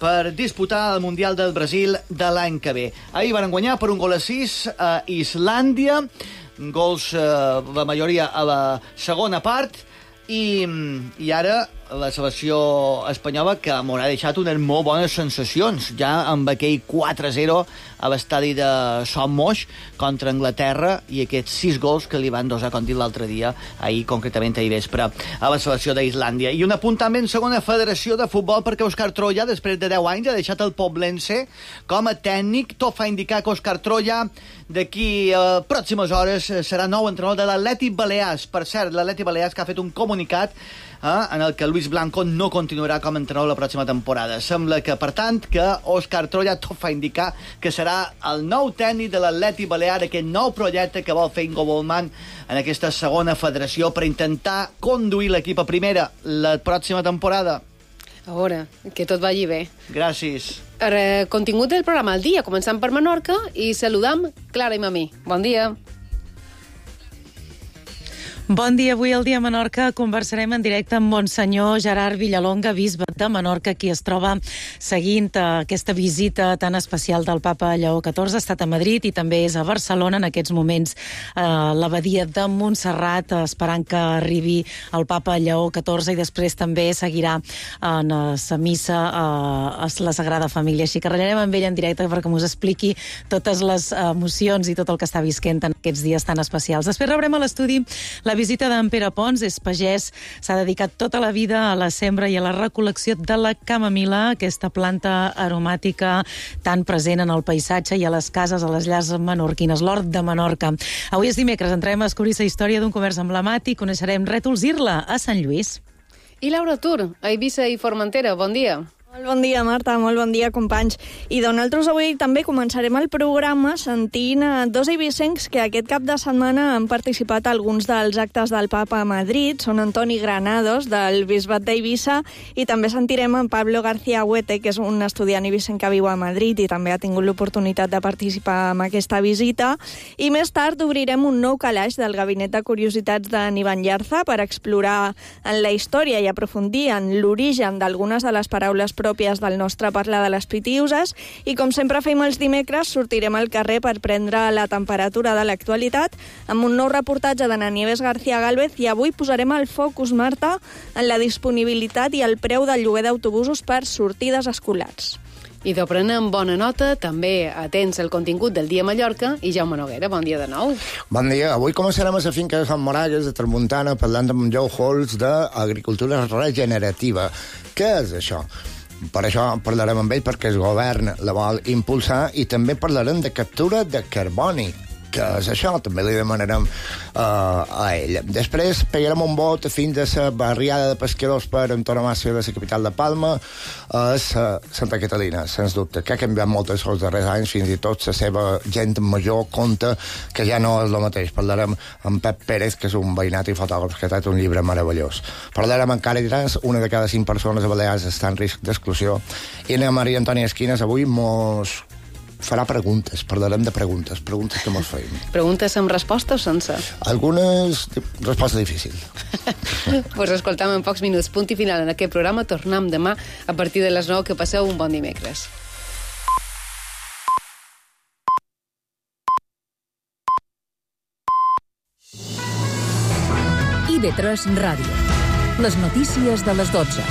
per disputar el Mundial del Brasil de l'any que ve. Ahir van guanyar per un gol a sis a Islàndia, gols, eh, la majoria a la segona part, i, i ara la selecció espanyola, que m'haurà deixat unes molt bones sensacions, ja amb aquell quatre a zero a l'estadi de Son Moix contra Anglaterra, i aquests sis gols que li van dosar, com dit l'altre dia, ahir, concretament ahir vespre, a la selecció d'Islàndia. I un apunt també en segona federació de futbol, perquè Òscar Troya, després de deu anys, ha deixat el Poblense com a tècnic. Tot fa indicar que Òscar Troya, d'aquí a pròximes hores, serà nou entrenador de l'Atlètic Balears. Per cert, l'Atlètic Balears, que ha fet un comunicat eh, en el que Luis Blanco no continuarà com a entrenador la pròxima temporada. Sembla que, per tant, que Òscar Troya tot fa indicar que serà el nou tècnic de l'Atlètic Balear, aquest nou projecte que vol fer Ingo Bollmann en aquesta segona federació per intentar conduir l'equip a primera la pròxima temporada. A veure, que tot vagi bé. Gràcies. El contingut del programa al dia, començant per Menorca i saludam Clara i Mamí. Bon dia. Bon dia. Avui al Dia Menorca conversarem en directe amb Monsenyor Gerard Villalonga, bisbe de Menorca, qui es troba seguint aquesta visita tan especial del papa Lleó catorze. Ha estat a Madrid i també és a Barcelona en aquests moments a l'abadia de Montserrat, esperant que arribi el papa Lleó catorze, i després també seguirà en la missa a la Sagrada Família. Així que ratllarem amb ell en directe perquè us expliqui totes les emocions i tot el que està visquent en aquests dies tan especials. Després rebrem a l'estudi la visita d'en Pere Pons. És pagès, s'ha dedicat tota la vida a la sembra i a la recol·lecció de la camamila, aquesta planta aromàtica tan present en el paisatge i a les cases, a les llars menorquines, l'hort de Menorca. Avui és dimecres, entrem a descobrir la història d'un comerç emblemàtic, coneixerem Rètols Irla, a Sant Lluís. I Laura Tur, a Eivissa i Formentera, bon dia. Molt bon dia, Marta, molt bon dia, companys. I nosaltres avui també començarem el programa sentint a dos eivissencs que aquest cap de setmana han participat a alguns dels actes del Papa a Madrid. Són Antoni Granados, del Bisbat d'Eivissa, i també sentirem en Pablo García Huete, que és un estudiant eivissenc que viu a Madrid i també ha tingut l'oportunitat de participar en aquesta visita. I més tard obrirem un nou calaix del Gabinet de Curiositats d'en Ivan Llarza per explorar en la història i aprofundir en l'origen d'algunes de les paraules pròpies del nostre parlar de les pitiuses, i com sempre fem els dimecres, sortirem al carrer per prendre la temperatura de l'actualitat amb un nou reportatge d'Ana Nieves García Gálvez, i avui posarem el focus, Marta, en la disponibilitat i el preu del lloguer d'autobusos per sortides escolars. I de prenem bona nota, també atents al contingut del Dia Mallorca, i Jaume Noguera, bon dia de nou. Bon dia. Avui començarem a la finca de Sant Moragues, de Tramuntana, parlant amb Joe Holtz d'agricultura regenerativa. Què és això? Per això parlarem amb ell, perquè el govern la vol impulsar, i també parlarem de captura de carboni. Què és això? També li demanarem uh, a ell. Després pegarem un vot fins a la barriada de pescadors per antonomàsia de la capital de Palma, és uh, Santa Catalina, sens dubte, que ha canviat molt els darrers anys, fins i tot la seva gent major compta que ja no és el mateix. Parlarem amb Pep Pérez, que és un veïnat i fotògraf que ha tret un llibre meravellós. Parlarem amb Càritas, una de cada cinc persones a Balears està en risc d'exclusió, i a Maria Antònia Esquines avui mos farà preguntes, parlarem de preguntes, preguntes que mos feim. Preguntes amb resposta o sense? Algunes resposta difícil. Pues escoltam en pocs minuts. Punt i final en aquest programa. Tornem demà a partir de les nou. Que passeu un bon dimecres. I V tres Ràdio. Les notícies de les dotze.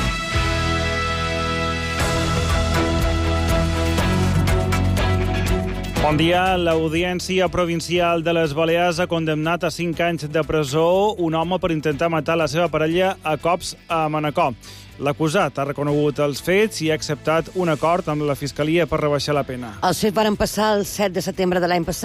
Bon dia. L'Audiència Provincial de les Balears ha condemnat a cinc anys de presó un home per intentar matar la seva parella a cops a Manacor. L'acusat ha reconegut els fets i ha acceptat un acord amb la Fiscalia per rebaixar la pena. Els fets varen passar el set de setembre de l'any passat.